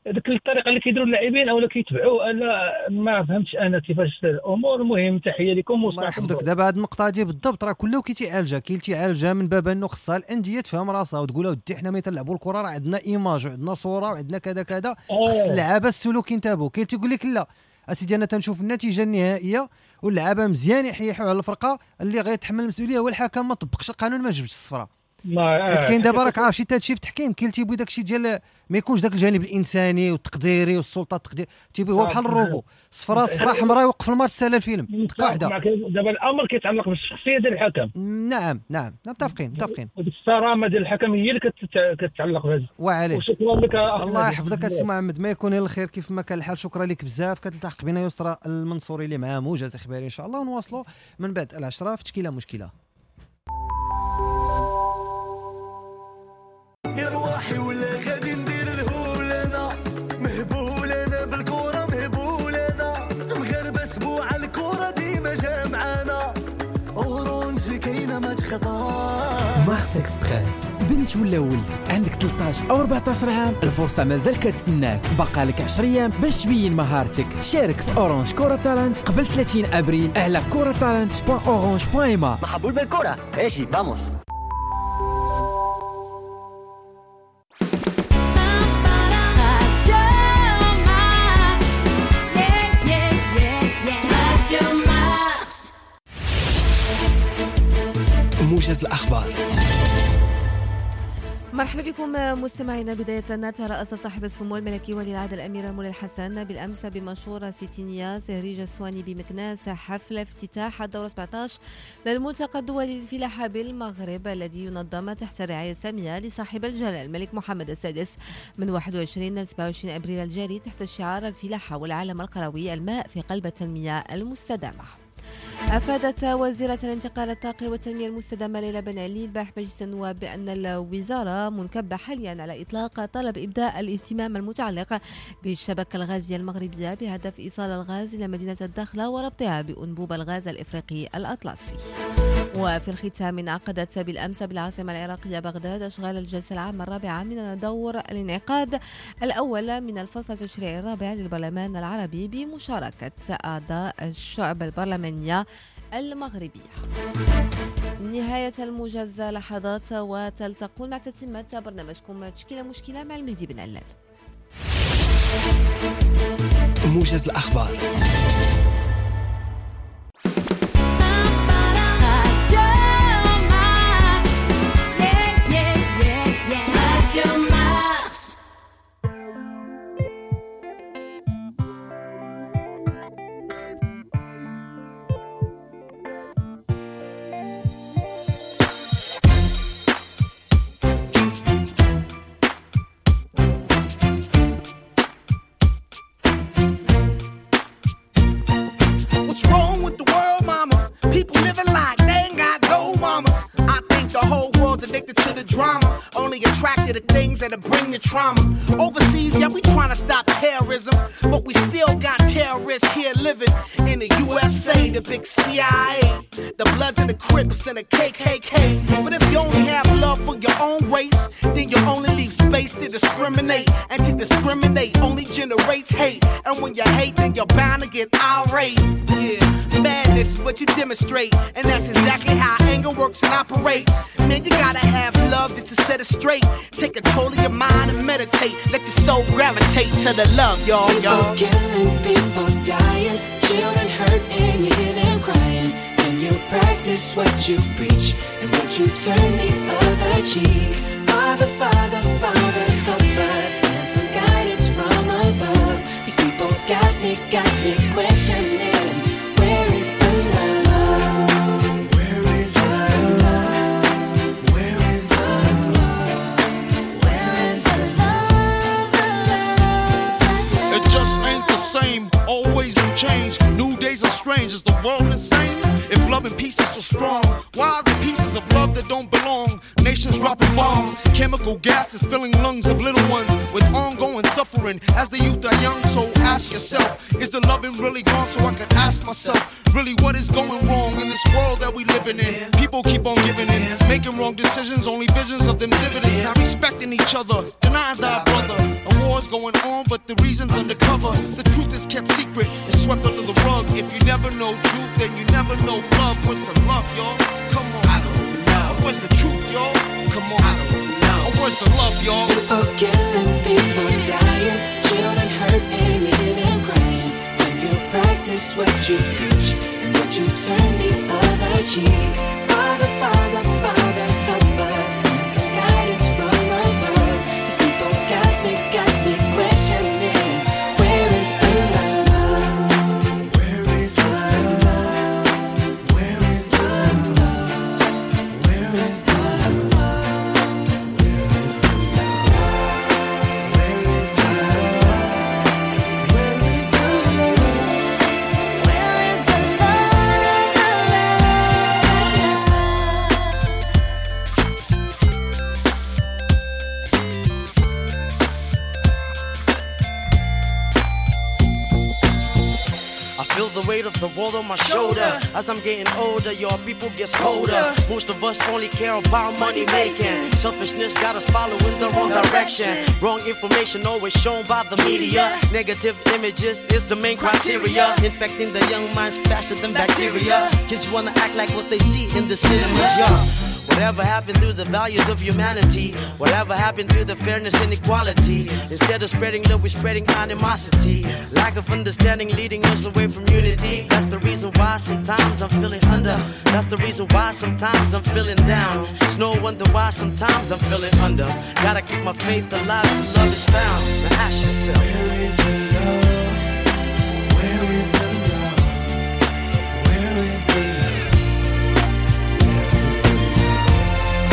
ديك الطريقة اللي كيديروا اللاعبين اولا كيتبعوا، انا ما فهمتش انا كيفاش الامور. المهم تحية لكم الله يحفظك. دابا هذه النقطة هذه بالضبط راه كله كيتعالجها، كاين تيعالجها من باب انه خصها الاندية تفهم راسها وتقول اودي حنا ملي تنلعبوا الكره راه عندنا image وعندنا صوره وعندنا كذا كذا، خص اللعابه السلوك ينتبهوا. كاين تيقول لك لا اسيدي انا تنشوف النتيجة النهائية واللعابه مزيان يحيحوا على الفرقة، اللي غيتحمل المسؤولية هو الحكم ما طبقش القانون ما جبش الصفراء. حيت كاين دابا راك عارف شي تادشي في التحكيم، كاين تيبغي داكشي ديال ما يكونش داك الجانب الانساني والتقديري والسلطة التقدير، تيبغي هو بحال الروبو صفراء صفراء حمراء يوقف الماتش سالا الفيلم دقه واحدة. دابا الامر كيتعلق بالشخصية ديال الحكم. نعم نعم متفقين. الصرامه ديال الحكم هي اللي كتتعلق بهذا. وعليه وشكرا لك. الله يحفظك السي محمد، ما يكون الخير كيف ما كان الحال. شكرا لك بزاف. كتلتحق بنا يسرى المنصوري اللي معاه موجز اخباري ان شاء الله، ونواصلوا من بعد 10 في تشكيله مشكلة. يا روحي ولا غادي ندير الهول، انا مهبول انا بالكرة مهبول انا، مغربه سبوع الكره ديما جامعانا، Orange كاينه ما تخطا. Mars Express، بنت ولا ولد عندك 13 او 14 عام، الفرصة مازال كتسناك، بقى لك 10 ايام باش تبين مهارتك. شارك في Orange Koura Talent قبل 30 ابريل على kouratalent.orange.ma. محبول بالكرة ماشي vamos. موجز الأخبار. مرحبا بكم مستمعينا. بداية ترأس صاحب السمو الملكي ولي العهد الأمير مولاي الحسن بالأمس بمنشورة ستينية سهريج السواني بمكناس حفل افتتاح الدورة 17 للملتقى الدولي للفلاحة بالمغرب الذي ينظم تحت الرعاية السامية لصاحب الجلالة الملك محمد السادس من 21 ل 27 أبريل الجاري تحت الشعار الفلاحة والعالم القروي، الماء في قلب التنمية المستدامة. أفادت وزيرة الانتقال الطاقي والتنمية المستدامة ليلى بن علي البارح مجلس النواب بأن الوزارة منكبة حاليا على إطلاق طلب إبداء الاهتمام المتعلق بالشبكة الغازية المغربية بهدف إيصال الغاز إلى مدينة الداخلة وربطها بأنبوب الغاز الإفريقي الأطلسي. وفي الختام انعقدت بالأمس بالعاصمة العراقية بغداد أشغال الجلسة العامة الرابعة من دور الانعقاد الأول من الفصل التشريعي الرابع للبرلمان العربي بمشاركة أعضاء الشعب البرلمانية المغربية. نهاية الموجز لحظات وتلتقون مع تتمة برنامجكم تشكيلة مشكلة مع المهدي بن علال. موجز الأخبار. That'll bring the trauma. Overseas, yeah, we trying to stop terrorism, but we still got terrorists here living in the USA, the big CIA, the Bloods and the Crips and the KKK. But if you only have love for your own race, then you only leave space to discriminate, and to discriminate only generates hate. And when you hate, then you're bound to get irate. Yeah, madness is what you demonstrate. And that's exactly how anger works and operates. Man, you gotta have love just to set it straight. Take control of your mind and meditate. Let your soul gravitate to the love, y'all, y'all. People killing, people dying, children hurt and you hear them crying. Can you practice what you preach and would you turn the other cheek? Father, Father, Father, help us, send some guidance from above. These people got me questioning. Where is the love? Where is the love? Where is the love? Where is the love? The love? It just ain't the same. Always new change. New days are strange. Is the world insane? If love and peace is so strong, why are the pieces of love that don't belong? Nations dropping bombs, chemical gases filling lungs of little ones with ongoing suffering as the youth are young. So ask yourself, is the loving really gone? So I could ask myself, really what is going wrong in this world that we living in? People keep on giving in, making wrong decisions, only visions of them dividends, not respecting each other, denying thy brother. A war's going on, but the reason's undercover. The truth is kept secret, it's swept under the rug. If you never know truth, then you never know love. What's the love, y'all? Come on, I don't know. What's the truth, y'all? Come on, I don't know. What's the love, y'all? People killing, people dying, children hurt and you hear them crying. When you practice what you preach and would you turn the other cheek? Father, Father, Father, help us, send some guidance from above. These people got me questioning. Where is the love? Where is the love? Where is the love? Where is the love? Where is the love? Where is the love? Where is the love? Where is the love? The love? I feel the weight of the world on my shoulder. As I'm getting older, y'all, people get colder. Most of us only care about money making. Selfishness got us following the wrong direction. Wrong information always shown by the media. Negative images is the main criteria. Infecting the young minds faster than bacteria. Kids wanna act like what they see in the cinemas, yeah. Whatever happened to the values of humanity? Whatever happened to the fairness and equality? Instead of spreading love, we're spreading animosity. Lack of understanding leading us away from unity. That's the reason why sometimes I'm feeling under. That's the reason why sometimes I'm feeling down. It's no wonder why sometimes I'm feeling under. Gotta keep my faith alive till love is found. Now ask yourself, where is the love? Where is the love? Where is the love?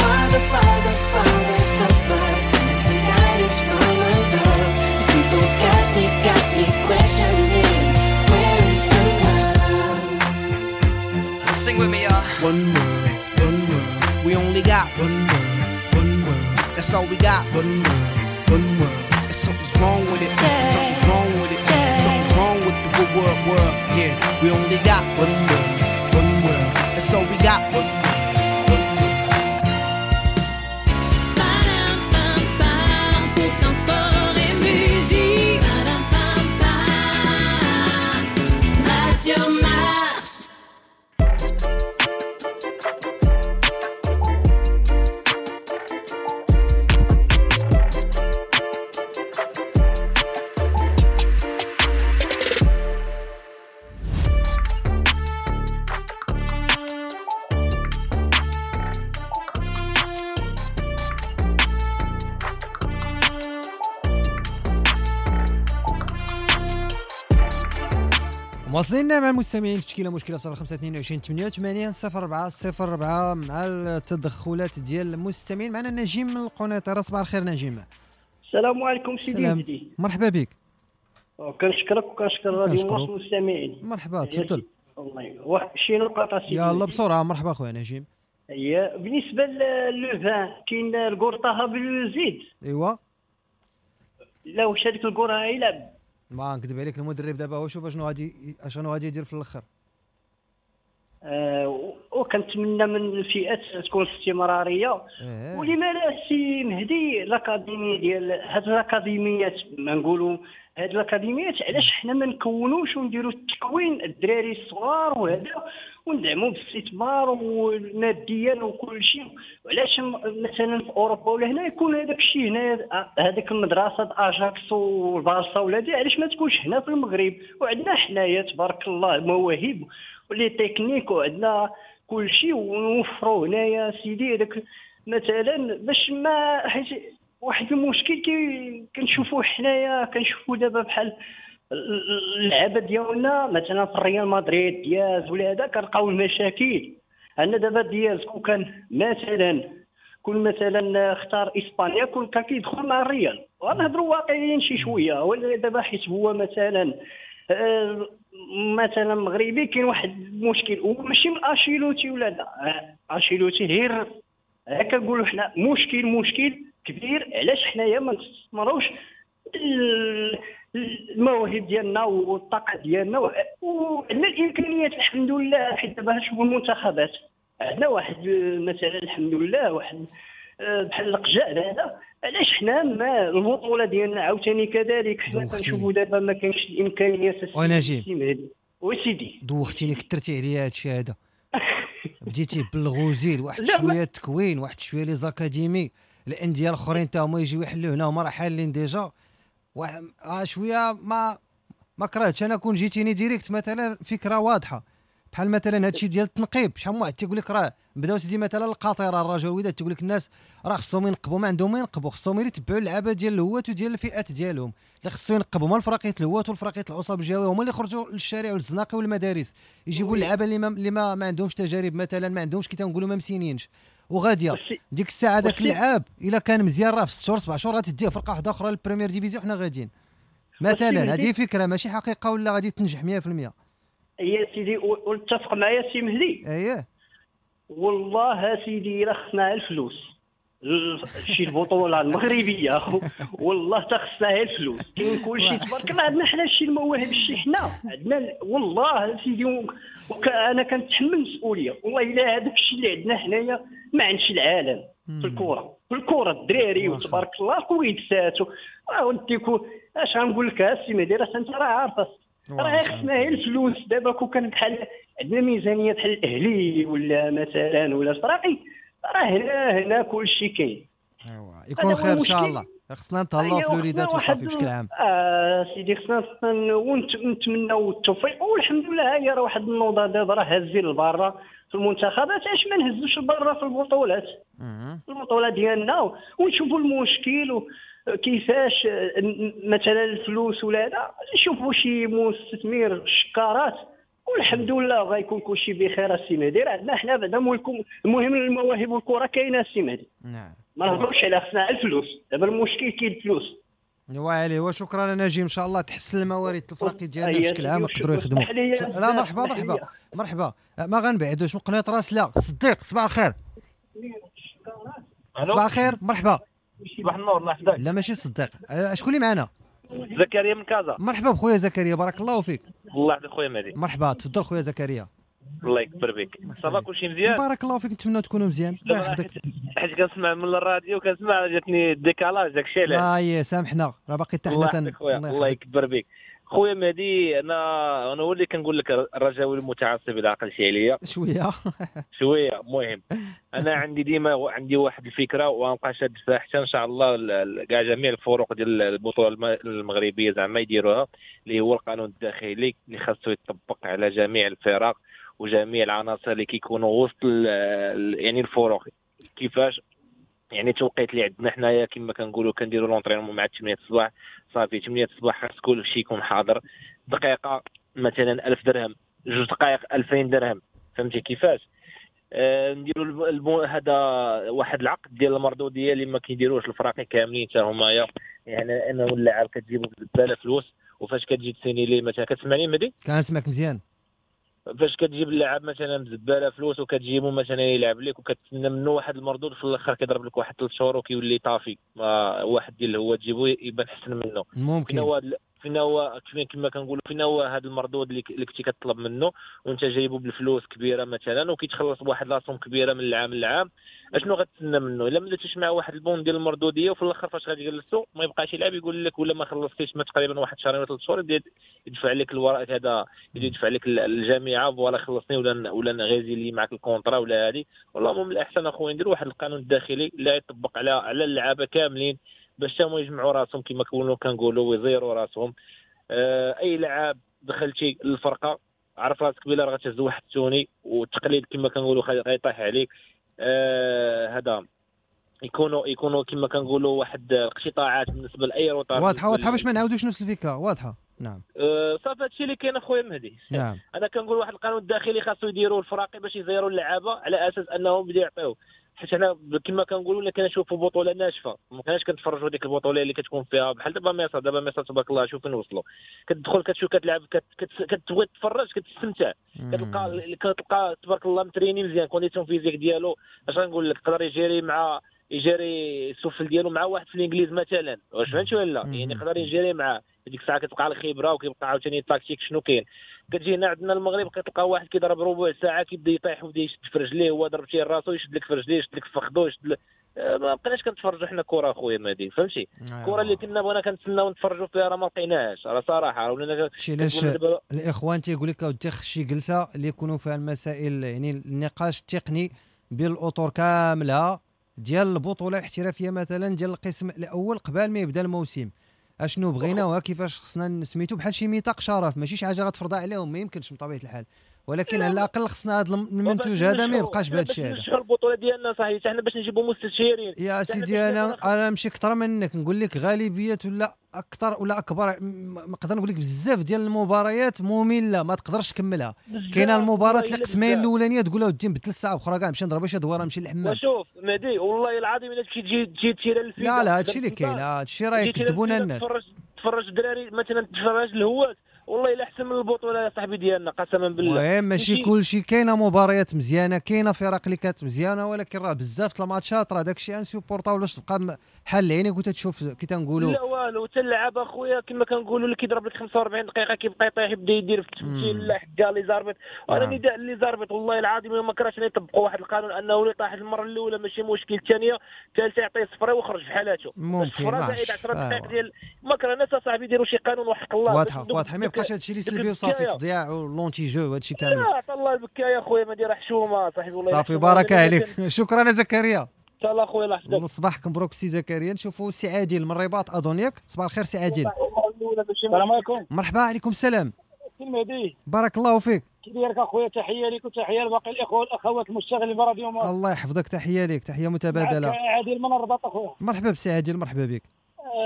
Father, Father, Father, help us, send some guidance from above. These people got me questioning. Where is the love? Sing with me, y'all. One world, one world. We only got one world, one world. That's all we got. One world, one world. And something's wrong with it. Something's wrong with it. Something's wrong with the good world, world. Yeah, we only got one world, one world. That's all we got. One world. 100% sport et musique. Radio Mars. مواصلين مع المستمعين في تشكيله مشكلة 05 22 88 04 04 مع التدخلات ديال المستمعين. معنا نجيم من القنيطره. صباح الخير نجيم. السلام عليكم سيدي مهدي. مرحبا بك. كنشكرك وكنشكر راديو مارس المستمعين. مرحبا تفضل. الله يبارك. واحد شي نقطة سيدي. يلا بسرعة. مرحبا خويا نجيم. هي بالنسبة le vingt كاين الكورطه بالزيد. ايوا لا واش هذيك الكره يلعب؟ ما نكذب عليك المدرب دابا هو شوف اشنو غادي يدير في الاخر. وكنتمنى من الفئات تكون استمرارية. ولما لا سي مهدي l'académie ديال هاد الاكاديميات، ما نقولوا هاد الاكاديميات علاش حنا ما نكونوش ونديروا التكوين الدراري الصغار وهذا، وندعموا بالاستثمار وماديا وكل شيء. علاش مثلا في اوروبا ولا هنا يكون هذاك الشيء، هنا هذيك المدرسة اجاكس والبارسا ولا دي، علاش ما تكونش هنا في المغرب؟ وعندنا حنايا تبارك الله مواهب و les techniques وعندنا كل شيء، ونوفروا هنايا سيدي هذاك مثلا باش ما، حيت واحد المشكل كنشوفوه حنايا، كنشوفوا دابا بحال اللعابه ديالنا مثلا في الريال مدريد دياز ولا هذا، كنلقاو المشاكل. عندنا دابا دياز كون كان مثلا، كون مثلا اختار اسبانيا كون كان كيدخل مع الريال، ونهضروا واقعيين شي شوية. ولا دابا حيت هو مثلا مثلا مغربي، كاين واحد المشكل وماشي من انشيلوتي ولا لا، انشيلوتي غير هكا نقولوا حنا مشكل كبير. علاش حنايا ما نستثمروش المواهب ديالنا والطاقة ديالنا وعندنا الامكانيات الحمد لله؟ حيت دابا شوفوا المنتخبات عندنا واحد مثلا الحمد لله واحد بحال القجع هذا، علاش حنا ما البطولة ديالنا عاوتاني كذلك حنا كنشوفوا دابا ما كاينش الامكانيات. ونجيب وسيدي دوختيني، كثرتي عليا هادشي هذا. بديتي بالغوزيل واحد شوية التكوين، واحد شوية les académies، الاندية الاخرين تا هما يجيو يحلوا هنا، هما راه حالين déjà واحد شوية. ما كرهتش انا كون جيتيني direct مثلا فكرة واضحة، بحال مثلا هادشي ديال التنقيب. شحال من واحد تيقول لك راه بداو سيدي مثلا القاطره الرجاويه، تيقول لك الناس راه خصهم ينقبوا، ما عندهم ما ينقبوا، خصهم يتبعوا اللعابه ديال الهوات وديال الفئات ديالهم اللي خصو ينقبوا. هما الفراقيه الهوات والفراقيه العصب الجهوية هما اللي خرجوا للشارع والزناقي والمدارس، يجيبوا اللعابه اللي ما عندهمش تجارب مثلا، ما عندهمش كي تنقولوا ما مسينينش وغاديه. ديك الساعة داك اللعاب الا كان مزيان راه في 6 شهور 7 شهور غتديه فرقه واحدة اخرى لل première division، حنا غاديين مثلا. هذه فكرة ماشي حقيقة ولا غادي تنجح 100%. يا سيدي واتفق معايا سي مهدي. اييه والله سيدي الا خصنا الفلوس شي البطولة المغربية والله تخصنا الفلوس، كاين كلشي تبارك الله عندنا حنا شي المواهب شي حنا عندنا والله سيدي. انا كنتحمل المسؤولية والله الا هذاك الشيء اللي عندنا حنايا ما عندش العالم في الكره، في الكره الدراري وتبارك الله كويدسات ونديكو. اش غنقول لك السي مهدي، راه انت راه عارفه راه خصنا غير الفلوس. دابا كون كان بحال عندنا ميزانية بحال الاهلي ولا مثلا ولا الفراقي، راه هنا كلشي كاين. ايوا يكون خير ان شاء الله. خصنا نتهلاو في الوليدات وصافي بشكل عام. سيدي خصنا ونتمناو التوفيق والحمد لله. هي راه واحد النوضه دابا راه هازين البرة في المنتخبات، علاش ما نهزوش البرة في البطولات، البطولة ديالنا، ونشوفوا المشكل كيفاش مثلا الفلوس ولا هذا، نشوفوا شي مستثمر شكارات والحمد لله غيكون كلشي بخير. السي مهدي راه عندنا حنا بعدا المهم المواهب والكره كاينه السي مهدي. نعم ما نهضروش على خصنا الفلوس، دابا المشكل كاين الفلوس. وعلي وشكرا نجيب، ان شاء الله تحسن الموارد الفراقي ديالنا بشكل عام يقدروا يخدموا. لا مرحبا مرحبا مرحبا، ما غنبعدوش من قناة راس. لا صديق صباح الخير. صباح الخير مرحبا. صباح النور الله يحفظك. لا ماشي صديق، شكون اللي معنا؟ زكريا من كازا. مرحبا بخويا زكريا بارك الله فيك. الله يحفظك خويا مهدي. مرحبا تفضل خويا زكريا. الله يكبر بك. ça va كلشي مزيان؟ بارك الله فيك، نتمنى تكونوا مزيان. الله يحفظك. حيت كنسمع من الراديو كنسمع جاتني décalage داكشي علاش. لا يا سامحنا راه باقي حتى حنا. الله يكبر بك خويا مهدي. انا هو اللي كنقول لك الرجاوي المتعصب الى عقلتي عليا شوية شوية. المهم انا عندي ديما عندي واحد الفكرة وغنبقى شاد فيها حتى ان شاء الله كاع جميع الفروق ديال البطولة المغربية زعما يديروها، اللي هو القانون الداخلي اللي خاصو يطبق على جميع الفرق وجميع العناصر اللي كيكونوا وسط يعني الفروق. كيفاش يعني التوقيت اللي عندنا حنايا كما كنقولوا كنديروا l'entraînement مع 8 الصباح، صافي 8 الصباح خاص كلشي يكون حاضر. دقيقة مثلا 1000 درهم، 2 دقائق 2000 درهم، فهمتي كيفاش؟ نديروا هذا واحد العقد ديال المردوديه اللي ما كيديروش الفراقي كاملين حتى هما، يعني انه اللاعب كتجيبو بالباله فلوس، وفاش كتجي تسيني ليه مثلا كتسمعني مهدي؟ كنسمعك مزيان. فاش كتجيب اللاعب مثلا بزباله فلوس وكتجيبو مثلا يلعب لك وكتسنى منه واحد المردود، في الاخر كيضرب لك واحد 3 شهور وكيولي طافي، ما واحد ديال هو تجيبو يبان حسن منه. ممكن فينا هو كما كنقولوا فينا هو هذا المردود اللي كنتي كتطلب منه وانت جايبه بالفلوس كبيرة مثلا، وكيتخلص بواحد la somme كبيرة من العام للعام، اشنو غتسنى منه الا ما درتيش معاه واحد ال bon ديال المردوديه؟ وفي الاخر فاش غادي يجلسوا ما يبقاش يلعب، يقول لك ولا ما خلصتيش ما تقريبا واحد شهرين ولا 3 شهور، يبدا يدفع لك الورق هذا، يدفع لك الجامعة voilà خلصني ولا نغيزي لي معك ال contrat ولا هذه. والله من الاحسن اخويا ندير واحد القانون الداخلي اللي يطبق على اللعابه كاملين باش هما يجمعوا راسهم كما كنقولوا ويزيروا راسهم. اي لعاب دخلتي للفرقة عرف راسك بلا راه غتهز واحد التوني والتقليد كما كنقولوا غيطيح عليك. هذا يكونوا كما كنقولوا واحد الاقتطاعات بالنسبة لاي retard. واضحة باش ما نعاودوش نفس الفكرة. واضحة نعم. صافي هادشي اللي كاين اخويا مهدي. نعم. انا كنقول واحد القانون الداخلي خاصو يديروا الفراقي باش يزيروا اللعابه على اساس انهم بداو يعطيو، حيت حنا كما كنقولوا ولا كنشوفوا بطوله ناشفة، ما كناش كنتفرجوا ديك البطولة اللي كتكون فيها بحال دابا مصر. دابا مصر تبارك الله شوف فين وصلوا، كتدخل كتشوف كتلعب كتبغي تتفرج كتستمتع، كتلقى تبارك الله متريني مزيان، condition physique ديالو اش غنقول لك، يقدر يجري مع يجري السفل ديالو مع واحد في الانجليز مثلا، واش فهمتي ولا لا؟ يعني يقدر يجري معاه ديك الساعة كتبقى الخبرة وكيبقى عاوتاني التكتيك شنو كاين. كتجي هنا عندنا المغرب كتلقى واحد كيضرب ربع ساعة كيبدا يطيح ويبدا يشد في رجليه، هو ضربتيه راسو يشد لك في رجليه يشد لك في فخدو يشد لك. ما بقيناش كنتفرجوا حنا كره اخويا مهدي، فهمتي؟ الكره اللي كنا بغينا كنتسناو نتفرجوا فيها راه ما لقيناهاش، راه صراحة ولينا. علاش الاخوان تيقول لك اودي خص شي جلسه اللي يكونوا فيها المسائل، يعني النقاش التقني بين الاطر كاملة ديال البطولة الاحترافية مثلا ديال القسم الاول قبل ما يبدا الموسم، اشنو بغينا وكيفاش خصنا نسميتو، بحال شي ميثاق شرف، ماشي شي حاجة غتفرضها عليهم، ما يمكنش من طبيعة الحال، ولكن على الاقل خصنا هذا المنتوج هذا ما يبقاش بهذا الشيء هذا. نشحوا البطولة ديالنا صحيح حنا باش نجيبوا مستشارين يا سيدي. انا ماشي اكثر منك، نقول لك غالبية ولا اكثر ولا اكبر، نقدر نقول لك بزاف ديال المباريات مملة ما تقدرش تكملها. كاينه المباراة القسمين الاولانية تقول له ودي نبدل الساعة اخرى كاع نمشي نضرب شي دوره نمشي للحمام. وشوف مهدي والله العظيم الا تمشي تجي تيرا الفيدا، لا هادشي اللي كاين، هادشي راه يكذبونا الناس. تفرج الدراري مثلا، تفرج الهواة والله الا احسن من البطولة يا صاحبي ديالنا قسما بالله. المهم ماشي كلشي، كاينه مباريات مزيانه، كاينه فرق اللي كانت مزيانه، ولكن راه بزاف الماتشات راه داكشي insupportable، ولاش تبقى حال عينيك وتتشوف كي تنقولوا لا والو. حتى اللعابه اخويا كما كنقولوا اللي كيضرب لك 45 دقيقة كيبقى يطيح يبدا يدير في التمثيل لا حكا les arbitres. وانا نداء les arbitres والله العظيم ما كرهتش يطبقوا واحد القانون انه اللي طاح المرة الاولى ماشي مشكل، الثانية الثالثة يعطيه صفرة ويخرج في حالاته. ممكن زائد 10 دقائق ديال ما كرهناش اصاحبي يديروا شي قانون وحق الله. واضحة ما يبقاش هادشي اللي سلبي وصافي تضياع و l'anti-jeu وهادشي كامل. لا عطا الله البكايه يا خويا ما دير حشومه صاحبي والله. صافي بارك عليك، شكرا زكريا. ان شاء الله خويا الله يحفظك. صباحك مبروك سي زكريا. نشوفوا سي عادل من الرباط اظن، ياك؟ صباح الخير سي عادل. السلام عليكم. مرحبا، عليكم السلام. سي المهدي بارك الله فيك. كي دايرك اخويا؟ تحية لك وتحية لباقي الاخوة والاخوات المشتغلين براديو مارس. الله يحفظك، تحية لك، تحية متبادلة. عادل من الرباط اخويا. مرحبا بسي عادل، مرحبا بك.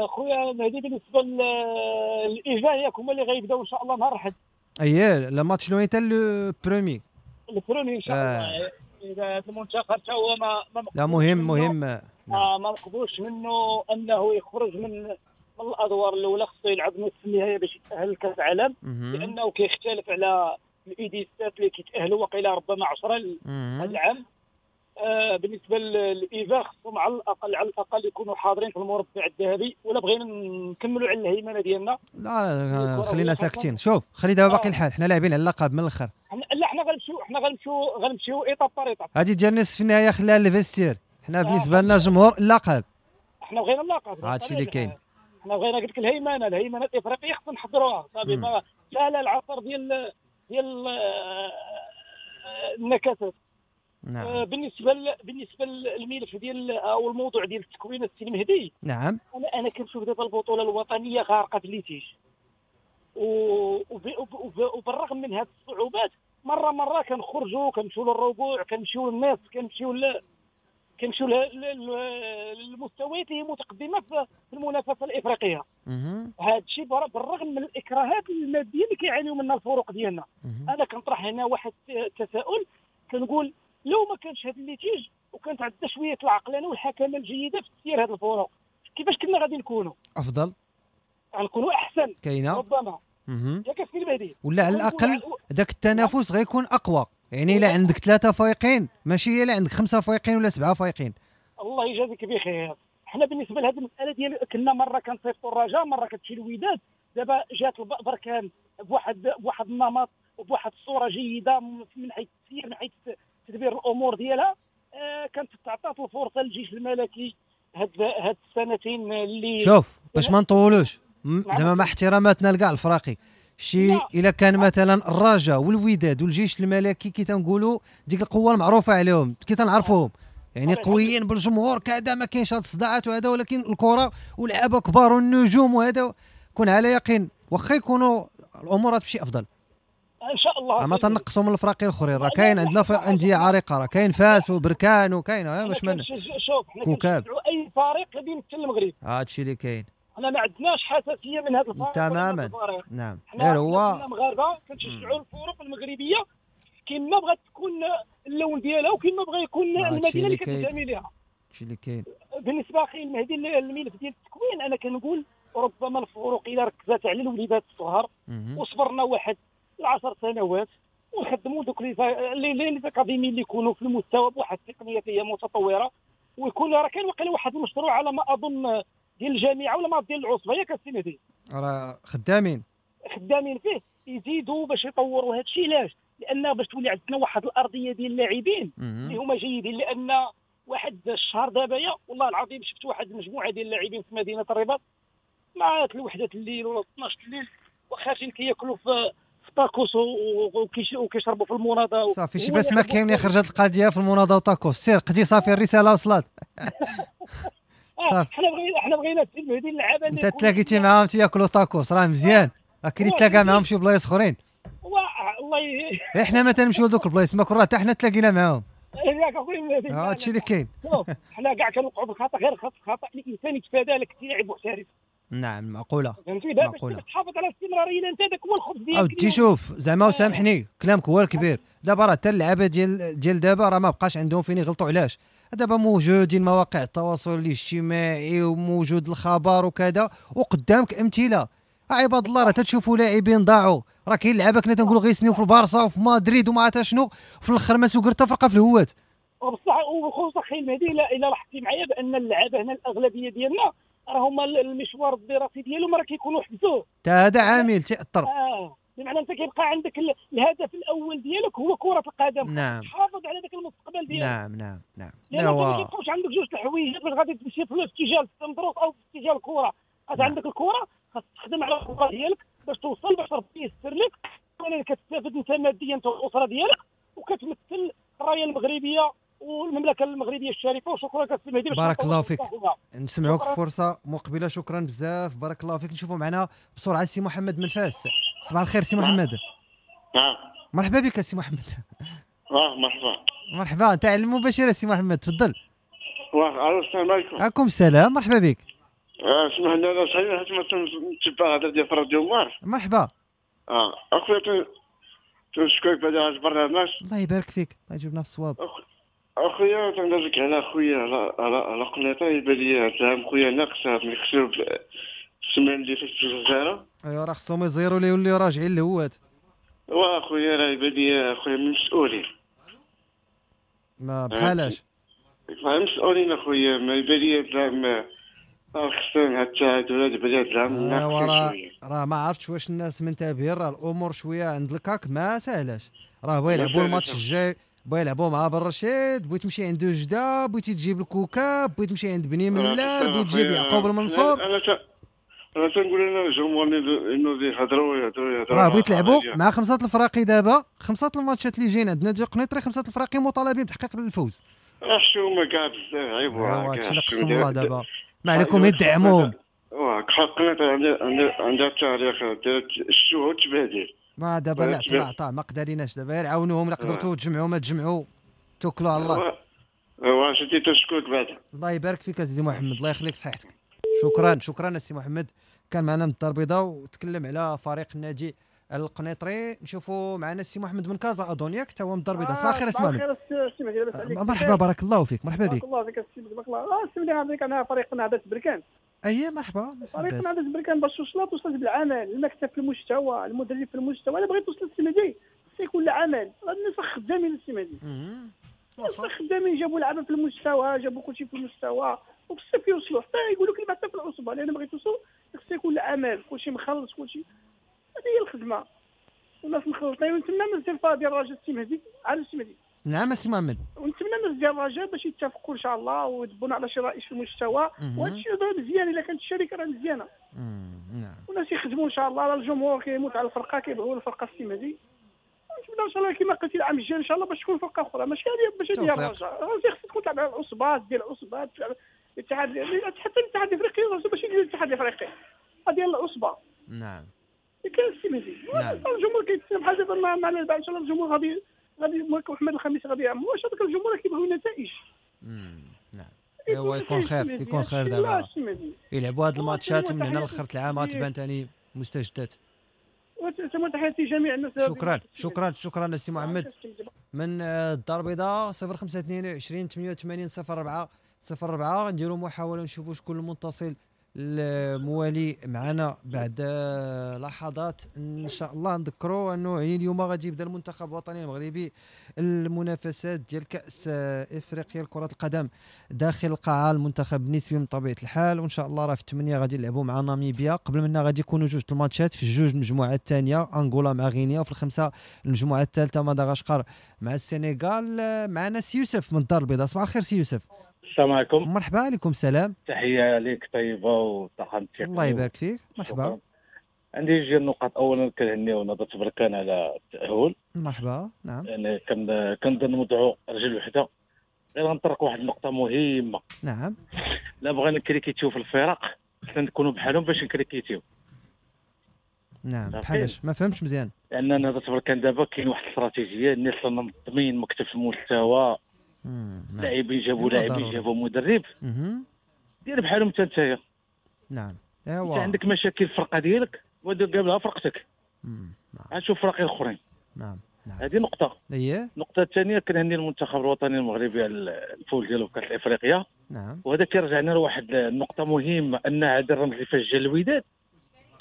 خويا مهدي، بالنسبة للايفا ياك هما اللي غيبداو ان شاء الله نهار الاحد. اييه le match لو حتى le premier le premier ان شاء الله. اذا هذا المنتخب حتى هو ما لا مهم ما مقبولش منه انه يخرج من الادوار الاولى، خصو يلعب نصف النهائي باش يتاهل لكاس العالم، لانه كيختلف على ال U 17 اللي كيتاهلوا وقيله ربما 10 هذا العام. بالنسبة للايفا خصهم على الاقل يكونوا حاضرين في المربع الذهبي، ولا بغينا نكملوا على الهيمنة ديالنا. لا خلينا ساكتين. شوف خلي دابا باقي الحال، حنا لاعبين على اللقب من الاخر. لا حنا غنمشيو étape par étape. هذه ديال نصف النهاية خليها لل vestiaire. حنا بالنسبة لنا جمهور اللقب، حنا بغينا اللقب، هادشي اللي كاين. حنا بغينا قلت لك الهيمنة الافريقية خصنا نحضروها صافي. ما سهلة العصر ديال النكسات. نعم. بالنسبة للملف ديال او الموضوع ديال التكوين السي المهدي. نعم. انا كنشوف دابا البطولة الوطنية غارقة في ال litige، وبالرغم من هذه الصعوبات مرة كنخرجوا كنمشيو للربوع، كنمشيو للنصف، كنمشيو للمستويات اللي هي متقدمة في المنافسة الافريقية. هذا الشيء بالرغم من الاكراهات المادية اللي كيعانيو منها الفرق ديالنا. انا كنطرح هنا واحد التساؤل، كنقول لو ما كانش هذا ال litige وكانت عندنا شوية العقلانه والحكمة الجيدة في تسيير هذه الفرق، كيفاش كنا غادي نكونوا؟ افضل، غنكونوا احسن كاينه ربما. ياك السي المهدي؟ ولا على الاقل ذاك التنافس غيكون اقوى، يعني الا عندك 3 فايقين ماشي الا عندك 5 فايقين ولا 7 فايقين. الله يجازيك بخير. حنا بالنسبة لهذه المسالة ديال كنا مرة كنصيفطوا الرجاء، مرة كتمشي الوداد، دابا جات بركان بواحد النمط وبواحد الصورة جيدة من حيث التسيير، من حيث تدبير الامور ديالها. كانت تعطات الفرصة للجيش الملكي هاد السنتين اللي شوف باش ما نطولوش زعما مع احتراماتنا لكاع الفراقي شي الا كان مثلا الرجاء والوداد والجيش الملكي كي تنقولوا ديك القوة المعروفة عليهم كي تنعرفوهم يعني قويين بالجمهور كذا، ما كاينش هاد الصداعات وهذا، ولكن الكره واللعابه كبار والنجوم وهذا، كون على يقين واخا يكونوا الامور تمشي افضل ان شاء الله. ما تنقصوا من الفراقي الاخرين، راه كاين عندنا في اندية عريقة، راه كاين فاس وبركان وكاين باش ما شوف حنا كنشجعوا اي فريق اللي يمثل المغرب، هادشي اللي كاين. حنا ما عندناش حساسية من هذا الفريق تماما. نعم غير هو مغاربة كنشجعوا الفرق المغربية كما بغات تكون اللون ديالها وكما بغى يكون المدينة اللي كتنتمي ليها. هادشي اللي كاين. بالنسبة اخي المهدي الملف ديال التكوين، انا كنقول ربما الفرق الا ركزت على الوليدات الصغار وصبرنا واحد 10 سنوات ونخدموا دوك les académies اللي يكونوا في المستوى بواحد التقنية هي متطورة، ويكون راه كاين واقيلا واحد المشروع على ما اظن ديال الجامعة ولا ما ديال العصبة، ياك السي مهدي راه خدامين فيه يزيدوا باش يطوروا هذا الشيء. علاش؟ لان باش تولي عندنا واحد الارضية ديال اللاعبين اللي هما جيدين. لان واحد الشهر دابا والله العظيم شفت واحد المجموعة ديال اللاعبين في مدينة الرباط مع 1 الليل ولا 12 الليل وخارجين كياكلوا في طاكوس وكيشربوا في المناضه. صافي شي باس ما كاين خرجت القضية في المناضه وطاكوس، سير قدي صافي الرسالة وصلت. صافي حنا بغينا السي المهدي اللعابه انت تلاقيتي معاهم تياكلوا طاكوس راه مزيان، كاين اللي تلاقى معاهم شي بلايص اخرين. والله احنا ما تنمشيو لدوك البلايص ما كره حتى حنا تلاقينا معاهم. ياك اخويا المهدي هادشي اللي كاين. شوف حنا كاع كنوقعوا بالخطا، غير خطا الانسان يتفادى لك لاعب محترف. نعم معقولة معقولة، باش تحافظ على الاستمرارية انت هذاك هو الخبز ديالك. اودي شوف زعما وسامحني كلامك هو الكبير. دابا راه حتى اللعابه ديال دابا راه ما بقاش عندهم فين يغلطوا. علاش؟ دابا موجودين مواقع التواصل الاجتماعي وموجود الخبر وكذا، وقدامك امثلة عباد الله. راه تتشوفوا لاعبين ضاعوا، راه كاين لعابه كنا تنقولوا غيسنيو في البارسا وفي مدريد وما عرفت شنو، في الاخر ما سوقر حتى فرقه في الهوات. وبصح وخصوصا خي المهدي الا لاحظتي معايا بان اللعابه هنا الاغلبية ديالنا راه هما المشوار الدراسي ديالهم راه كيكونوا حبسوه. حتى هذا عامل تاثر. بمعنى انت كيبقى عندك الهدف الاول ديالك هو كره القدم. نعم. تحافظ على ذاك المستقبل ديالك. نعم نعم نعم. لان ما كيبقاوش عندك جوج الحوايج باش غادي تمشي في اتجاه التمدروس او في اتجاه الكره. نعم. عندك الكره خاص تخدم على الكره ديالك باش توصل، باش ربي يسر لك، ولكن كتستافد انت ماديا انت والاسرة ديالك، وكتمثل الراية المغربية والمملكة المغربية الشريفة. وشكرا كابتن مهدي، بارك الله فيك. نسمعوك فرصة مقبله، شكرا بزاف، بارك الله فيك. نشوفوا معنا بسرعة سي محمد من فاس. صباح الخير سي محمد. نعم مرحبا بك سي محمد. مرحبا مرحبا، انت على المباشرة سي محمد، تفضل. السلام عليكم. عليكم السلام، مرحبا بك. اسمح لي انا صحيح حيت ما تنتبع هذا ديال راديو مارس. مرحبا. اخويا تنشكرك بعد هذا البرنامج. الله يبارك فيك، الله يجيبنا في الصواب. اخويا تنقول لك على خويا على قنيطه، يبان لي هاد العام خويا ناقص ملي خسروا السيمانة اللي فاتت في الجزائر. ايوا راه خصهم يزيروا ليه يوليو راجعين للهوات. وا خويا راه يبان لي خويا من المسؤولين. ما بحالاش مسؤولين اخويا، ما يبان لي هاد العام خصنا هاد التعادل هاد بلاد العام ناقصين شوية. راه ما عرفتش واش الناس منتبهين، راه الامور شوية عند الكاك ما ساهلاش. راه بغا يلعبوا الماتش الجاي، بغا يلعبوا مع برشيد، بغيت تمشي عند وجده، بغيتي تجيب الكوكاب، بغيت تمشي عند بني ملال، بغيت تجيب يعقوب المنصور. انا تنقول انا الجمهور انه يهضروا. راه بغيت تلعبوا مع 5 الفراقي دابا، 5 الماتشات اللي جايين عندنا ديال قنيطري، 5 الفراقي مطالبين بتحقيق الفوز. راه حشومه كاع بزاف، عيب كاع دابا ما عليكم يدعموهم. قنيطري عندها التاريخ ديال الشوه والتبادل. ما دابا لا عطا ما قدريناش دابا، غير عاونوهم الا قدرتوا تجمعوا ما تجمعوا، توكلوا على الله. واش انت تشكرك بعد. الله يبارك فيك سيدي محمد، الله يخليك صحتك. شكرا شكرا السي محمد، كان معنا من الدار البيضاء وتكلم على فريق النادي القنيطري. نشوفوا معنا السي محمد من كازا اظن، ياك حتى هو من الدار البيضاء. صباح الخير السي محمد. مرحبا، بارك الله فيك. مرحبا بك. بارك الله فيك السي، بارك الله. السي مهدي، انا فريق نهضة بركان. اي مرحبا. فريق نهضة بركان باش وصلت بالعمل، المكتب في المستوى، المدرب في المستوى. انا بغيت توصل السي مهدي خص يكون العمل، الناس خدامين السي مهدي، الناس خدامين، جابوا لعبه في المستوى، جابوا كلشي في المستوى، وبالصف يوصلوا حتى يقولوا كلمة حتى في العصبة. لان بغيت توصل خص يكون العمل، كلشي مخلص، كلشي. هذه هي الخدمة والناس مخلطين. ونتمنى الناس ديال الرجاء السي مهدي على السي مهدي. نعم السي محمد، ونتمنى الناس ديال الرجاء باش يتفقوا ان شاء الله ويدبونا على شي رئيس في المستوى. وهذا الشيء مزيان الا كانت الشركة راه مزيانه. نعم، والناس يخدموا ان شاء الله. الجمهور كيموت على الفرقة، كيبغيو الفرقة السي مهدي. نتمنى ان شاء الله كما قلتي العام الجاي ان شاء الله باش تكون فرقه اخرى، ماشي هذه باش ديال الرجاء. خصك تكون تلعب على العصبات ديال العصبات، الاتحاد، حتى الاتحاد الافريقي ماشي ديال الاتحاد الافريقي، ديال العصبة. نعم، كاين السي مهدي. الجمهور كيتسنى بحال دابا مع ان شاء الله الجمهور غادي محمد الخميس غادي يعمل. واش هذاك الجمهور كيبغيو النتائج. نعم، هو يكون خير، يكون خير دابا يلعبوا هاد الماتشات من هنا لاخر العام غتبان ثاني مستجدات. تحياتي جميع الناس. شكرا شكرا شكرا السي محمد من الدار البيضاء. 0522 88 04 04. نديروا محاولة نشوفوا شكون المتصل الموالي معنا بعد لحظات ان شاء الله. نذكروا انه يعني اليوم غادي يبدا المنتخب الوطني المغربي المنافسات ديال كاس افريقيا لكرة القدم داخل القاعة، المنتخب النسبي من طبيعة الحال. وان شاء الله راه في 8 غادي يلعبوا مع ناميبيا. قبل منا غادي يكونوا جوج الماتشات في جوج المجموعات الثانية، انغولا مع غينيا، وفي الخمسة المجموعة الثالثة مدغشقر مع السنغال. معنا سي يوسف من الدار البيضاء. صباح الخير سي يوسف. السلام عليكم. مرحبا. عليكم السلام. تحية لك طيبة وطاقم التقني. الله يبارك فيك. مرحبا. عندي جوج النقاط. اولا كنهنيو نهضة بركان على التأهل. مرحبا. نعم، يعني كنظن نوضعوا رجل وحده. غير غنطرق واحد النقطة مهمة. نعم، لا بغينا نكريكيتيو في الفرق خصنا نكونوا بحالهم باش نكريكيتيو. نعم، بحالاش؟ ما فهمتش مزيان. لان نهضة بركان دابا كاين واحد الاستراتيجية، الناس منظمين، مكتب في المستوى، لاعبين جابوا لاعبين، جابوا مدرب. دير بحالهم انت نتايا. نعم، ايوا انت عندك مشاكل في الفرقة ديالك ودير قبلها فرقتك. نعم، شوف فرق الاخرين. نعم، هذه نقطة. اييه. النقطة الثانية كنهني المنتخب الوطني المغربي على الفوز ديالو في كاس افريقيا. نعم، وهذا كيرجعنا لواحد النقطة مهمة، ان هذا الرمز فاش جا الوداد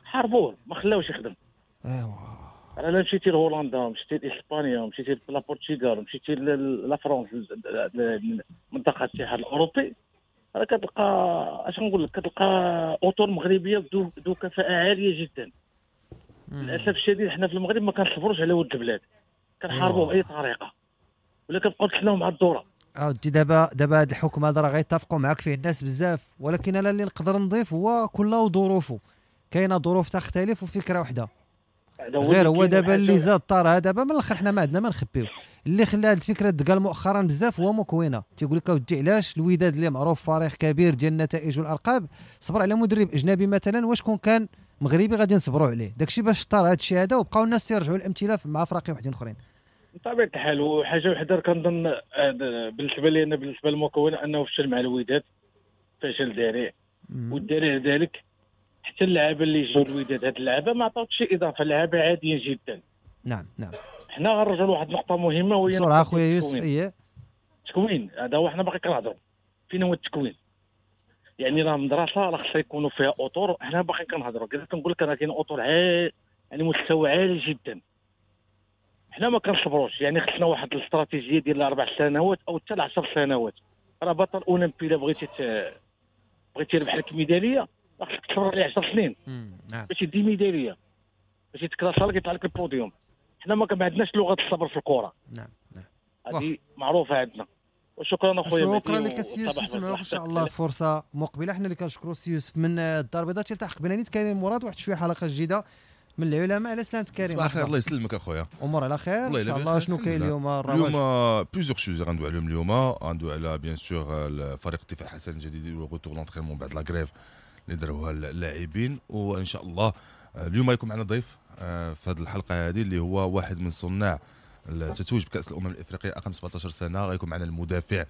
حاربوه، ما خلاوش يخدم. ايوا، راه مشيتي لهولندا، مشيتي لاسبانيا، مشيتي لا البرتغال، مشيتي la France، منطقة الاتحاد الاوروبي، راه كتلقى اش نقول لك، كتلقى اطر مغربية ذو كفاءة عالية جدا. للاسف الشديد حنا في المغرب ما كنصبروش على ود البلاد، كنحاربوه باي طريقه ولا كنبقاو نتسناو مع الدورة. اودي دابا هذا الحكم هذا راه غيتفقوا معاك فيه الناس بزاف، ولكن انا اللي نقدر نضيف هو كل وظروفه، كاينه ظروف تختلف وفكره وحده. غير هو دابا اللي زاد طارها دابا من الاخر، حنا ما عندنا ما نخبيو. اللي خلى هذه الفكرة تقال مؤخرا بزاف هو مكوينه، تيقول لك اودي علاش الوداد اللي معروف فريق كبير ديال النتائج والارقام صبر على مدرب اجنبي مثلا، واش كون كان مغربي غادي نصبروا عليه داكشي باش طار هذا الشيء هذا، وبقاو الناس يرجعوا الامثلة مع فراقي وحدين اخرين. بطبيعة الحال. وحاجه وحده كنظن بالنسبة لي انا، بالنسبة للمكونه، انه فشل مع الوداد فشل ذريع، والدليل ذلك حتى اللعابه اللي جاو الوداد هاد اللعابه ما عطاوش شي اضافه، لعابه عاديين جدا. نعم نعم، حنا غنرجعوا لواحد النقطة مهمة وهي بسرعة خويا يوسف. ايه، التكوين. هذا هو حنا باقي كنهضروا فين هو التكوين، يعني راه مدرسه راه خصها يكونوا فيها اطر. حنا باقي كنهضروا كذا، كنقول لك راه كاين اطر عالي، يعني مستوى عالي جدا. حنا ما كنصبروش، يعني خصنا واحد الاستراتيجية ديال 4 سنوات او حتى 10 سنوات. راه بطل اولمبي الا بغيتي تربح لك ميدالية خصك تصبر عليه 10 سنين. نعم، باش يدي ميدالية، باش يتكراسا لك يطلع لك البوديوم. حنا ما عندناش لغة الصبر في الكره. نعم نعم، هذه معروفة عندنا. وشكرا اخويا. شكرا لك سي يوسف، نسمعوك ان شاء الله فرصة مقبله. حنا اللي كنشكروا سي يوسف من الدار البيضاء. تلتحق بنا نيت كريم مراد واحد شوية حلقة جديدة من العلماء. على سلامتك كريم. صباح الخير. الله يسلمك اخويا. امور على خير ان شاء الله. شنو كاين اليوم؟ اليوم plusieurs choses غندوي عليهم اليوم. غندوي على bien sûr فريق الدفاع الحسن الجديد و retour l'entraînement بعد la grève اللي داروها اللاعبين. وان شاء الله اليوم غيكون معنا ضيف في هذه الحلقة هذه اللي هو واحد من صناع التتويج بكاس الامم الافريقية اقل 17 سنة. غيكون معنا المدافع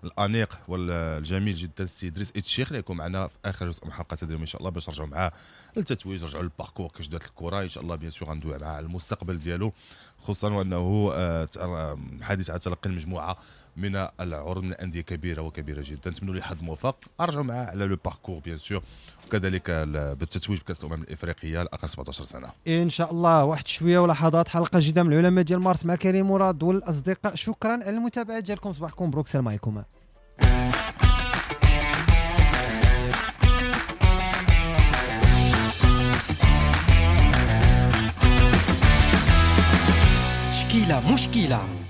الانيق والجميل جدا السي ادريس الشيخ اللي يكون معنا في اخر جزء من حلقة اليوم ان شاء الله، باش نرجعوا معاه للتتويج، نرجعوا لل parcours كيفاش دارت الكره ان شاء الله. bien sûr غندوي معاه على المستقبل ديالو، خصوصا وانه حديث على تلقي المجموعة من العروض من الاندية كبيرة وكبيره جدا. نتمنوا ليه حظ موفق. ارجعوا معاه على le parcours bien sûr، وكذلك بالتتويج بكاس الامم الافريقية الاقل 17 سنة ان شاء الله. واحد شوية ولحظات حلقة جديدة من العلماء ديال مارس مع كريم مراد والاصدقاء. شكرا على المتابعة ديالكم. صباحكم مبروك. السلام عليكم. تشكيله مشكلة.